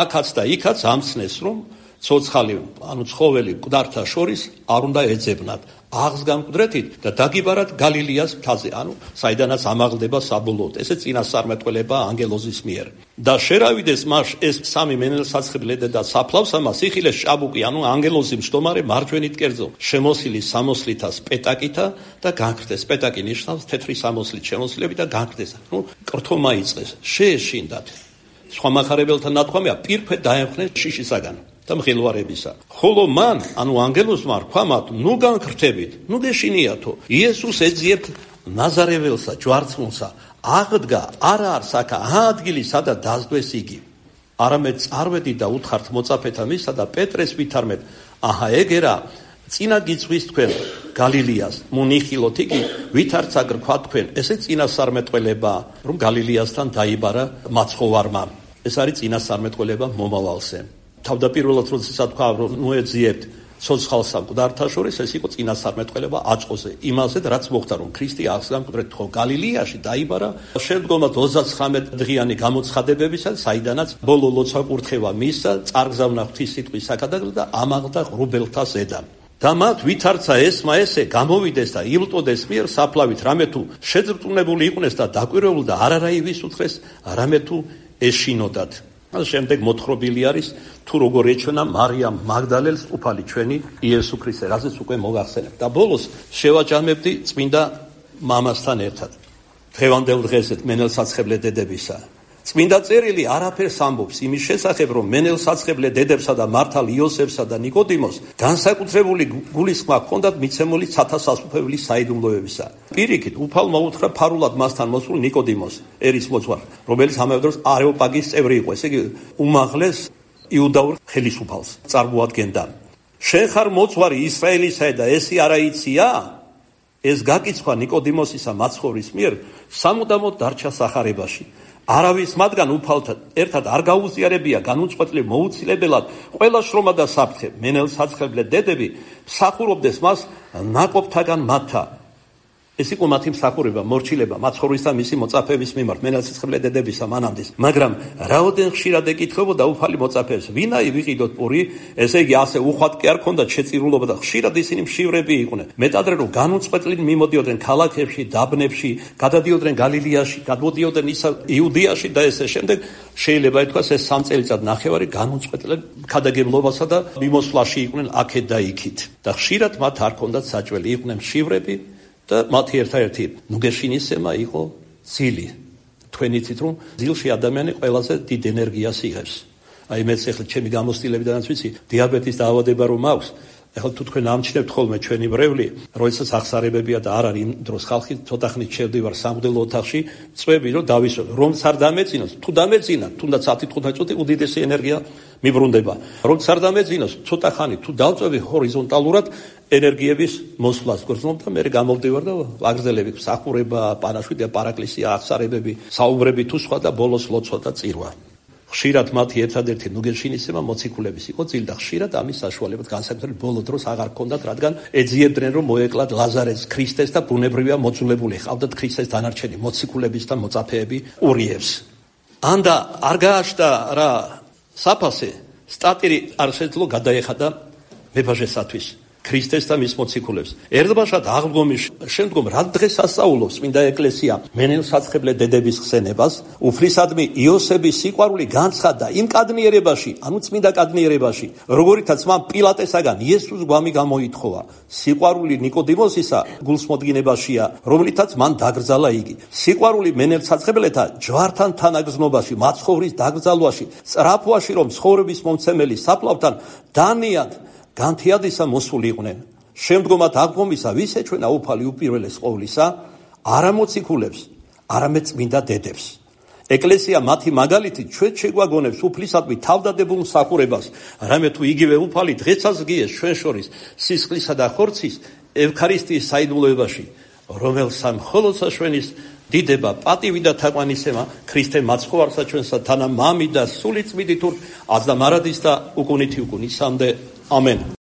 [SPEAKER 1] აქაც და იქაც ამცნეს, რომ ცოცხალი, ანუ ცხოველი მკვდართა შორის არ უნდა ეძებნათ. აღს გამკვდრეთით და დაგიბარათ გალილეას მთაზე, ანუ საიდანაც ამაღლდება საბოლოოდ. ესე წინასწარმეტყველება ანგელოზის მიერ. და შერავიდეს მას ეს სამი მენელსაცხებლე და საფლავსა მას იხილეს ჭაბუკი, ანუ ანგელოზი მжდომარე მარჯვენით კერძო, შემოსილი სამოსლითა სპეტაკითა და განქრთეს. სპეტაკი ნიშნავს თეთრი სამოსლით შემოსილები და განქრთეს. ნუ კრთომა იწყეს, შეეშინდათ. სხვა მახარებელთა ნათქვამია, პირფე დაემხნეს შიშისაგან და მღელვარებისა. ხოლო მან, ანუ ანგელოზმა რქვა მათ, ნუ განქრთებით, ნუ გეშინიათო. იესოს ეძიებთ ნაზარეველსა, ჯვარცმულსა, აღდგა, არა არ საქა, ადგილი, სადაც დასდვეს იგი. არამედ წარვედი და უთხართ მოწაფეთა მისსა და პეტრეს ვითარმეთ, აჰა ეგერა, წინა გიწვის თქვენ გალილეას, მონიხილოთ იგი, ვითარც აგ რქვა თქვენ, ესე წინასწარმეტყველება, რომ გალილეასთან დაიბარა მაცხოვარმა. ეს არის წინასწარმეტყველება მომავალზე. თავდაპირველად როდესაც თქვა რომ მოეძიებთ ცოცხალსა მკვდართა შორის, ეს იყო წინასწარმეტყველება აწყოზე, იმაზე რაც მოხდა რომ ქრისტე აღს გამკვდრეთ ხო გალილეაში დაიბარა, შემდგომად 39 დღიანი გამოცხადებებისა, საიდანაც ბოლო ლოცვა-კურთხევა მისცა, წარგზავნა ღვთის სიტყვის საკადაგლად და ამაღლდა ღრუბელთა ზედა. და მათ ვითარცა ესმა ესე გამოვიდეს და ილტოდეს მიერ საფლავით, რამე თუ შეძრწუნებული იყვნენ და დაკვირვებულ და არარავის უთხრეს, რამე თუ ეშინოდათ. შემდეგ მოთხრობილი არის თუ როგორ ეჩვენა მარიამ მაგდალელს უფალი ჩვენი იესო ქრისტე, რაზეც უკვე მოგახსენებთ. და ბოლოს შევაჯამებდი წმინდა მამასთან ერთად. დღევანდელ დღესეთ მენელსაცხებლე დედებისა. წმინდა წერილი არაფერს ამბობს იმის შესახებ, რომ მენელსაცხებლე დედებსა და მართალ იოსებსა და ნიკოდიმოს განსაკუთრებული გულისხმა ჰქონდათ მიცემული ცათა სასუფევლის საიდუმლოებისა. პირიქით, უფალმა უთხრა ფარულად მასთან მოსულ ნიკოდიმოს, ერის მოძღვარ, რომელიც ამავე დროს არეოპაგის წევრი იყო, ესე იგი უმაღლეს იუდაურ ხელისუფალს წარმოადგენდა. შენ ხარ მოძღვარი ისრაელისა და ესი არა იცია? ეს გაკიცხვა ნიკოდიმოსისა მაცხოვრის მიერ სამუდამოდ დარჩა სახარებაში. არავის მათგან უფალთან ერთად არ გაუზიარებია განუწყვეტლივ მოუცილებელად ყველა შრომა და საფრთხე. მენელსაცხებლე დედები მსახურობდეს მას ნაკობთაგან მათთა. ეს იყო მათი მსახურება, მორჩილება მაცხოვრის და მისი მოწაფეების მიმართ, მენელსაცხებლე დედებისა მანამდის. მაგრამ რაოდენ ხშირად ეკითხებოდა უფალი მოწაფეებს, ვინაი ვიყიდოთ პური, ესე იგი ასე უხვად კი არ ქონდათ შეწირულობა და ხშირად ისინი მშივრები იყვნენ. მეტადრე რომ განუწყვეტლივ მიმოდიოდნენ ქალაქებში, დაბნებში, გადადიოდნენ გალილეაში, გადმოდიოდნენ იუდეაში და ესე შემდეგ, შეიძლება ითქვას ეს 3 წელიწად ნახევარი განუწყვეტლად ქადაგებლობასა და მიმოსვლაში იყვნენ აქეთ და იქით. და ხშირად მათ არ ქონდათ საჭველი, იყვნენ მშივრები. და მათი ერთადერთი ნუგეშინისემა იყო ძილი. თქვენ იცით რომ ძილში ადამიანი ყველაზე დიდ ენერგიას იღებს. აი მეც ახლა ჩემი გამოცდილებიდანაც ვიცი, დიაბეტის დაავადება რომ მაქვს, ახლა თუ თქვენ ამჩნევთ ხოლმე ჩვენი ბრევლი, როდესაც ახსარებებია და არ არის იმ დროს ხალხი ცოტა ხნით შევდივარ სამღვდელო ოთახში, წვევი რომ დავისვენ, რომც არ დამეწინოს, თუ დამეწინა, თუნდაც 10-15 წუთი უდიდესი ენერგია მიბრუნდება. რომც არ დამეწინოს, ცოტა ხანი თუ დავწვევი ჰორიზონტალურად ენერგიების მოსვლას გრძნობ და მე გამოვდივარ და ვაგრძელები მსახურება, პანაშვიდია, პარაკლისია, ახსარებები, საუბრები თუ სხვა და ბოლოს ლოცვა და წირვა. ხშირად მათი ერთადერთი ნუგეშინისება მოციქულების იყო ძილ და ხშირად ამის საშუალებად განსაკუთრებით ბოლო დროს აღარ ჰქონდათ, რადგან ეძიებდნენ რომ მოეკლათ ლაზარეს ქრისტეს და ბუნებრივია მოძულებული ჰყავდათ ქრისტეს დანარჩენი მოციქულების და მოწაფეები ურიევს. ანდა არ გააჩნდა რა საფასე, სტატირი არ შეძლო გადაეხადა მებაჟესათვის ქრისტეს და მის მოციქულებს. ერთბაშად აღდგომის შემდგომ რა დღეს ასწავლობს წმინდა ეკლესია მენელსაცხებლე დედების ხსენებას, უფლისადმი იოსების სიყვარული განცხადდა იმ კადნიერებაში, ანუ წმინდა კადნიერებაში, როგორითაც მან პილატესაგან იესოს გვამი გამოითხოვა. სიყვარული ნიკოდიმოსისა გულსმოდგინებაშია, რომლითაც მან დაგრძალა იგი. სიყვარული მენელსაცხებლეთა ჯვართან თანაგრძნობაში, მაცხოვრის დაკრძალვაში, სწრაფვაში, რომ ცხოვრების მომცემელი საფლავთან დანიად განთიადისა მოსული იყვნენ. შემდგომად აღდგომისა ვის ეჩვენა უფალი უპირველეს ყოვლისა, არა მოციქულებს, არამედ წმინდა დედებს. ეკლესია მათი მაგალითით ჩვენ შეგვაგონებს უფლისადმი თავდადებულ მსახურებას, რამე თუ იგივე უფალი დღესაც გიეს ჩვენ შორის სისხლისა და ხორცის ევქარისტიის საიდუმლოებაში, რომელსა მხოლოდ საშვენის დიდება, პატივი და თაყვანისცემა ქრისტე მაცხოვარსა ჩვენსა თანა მამი და სული წმინდით აზდა მარადის და უკუნითი უკუნისამდე. ამენ.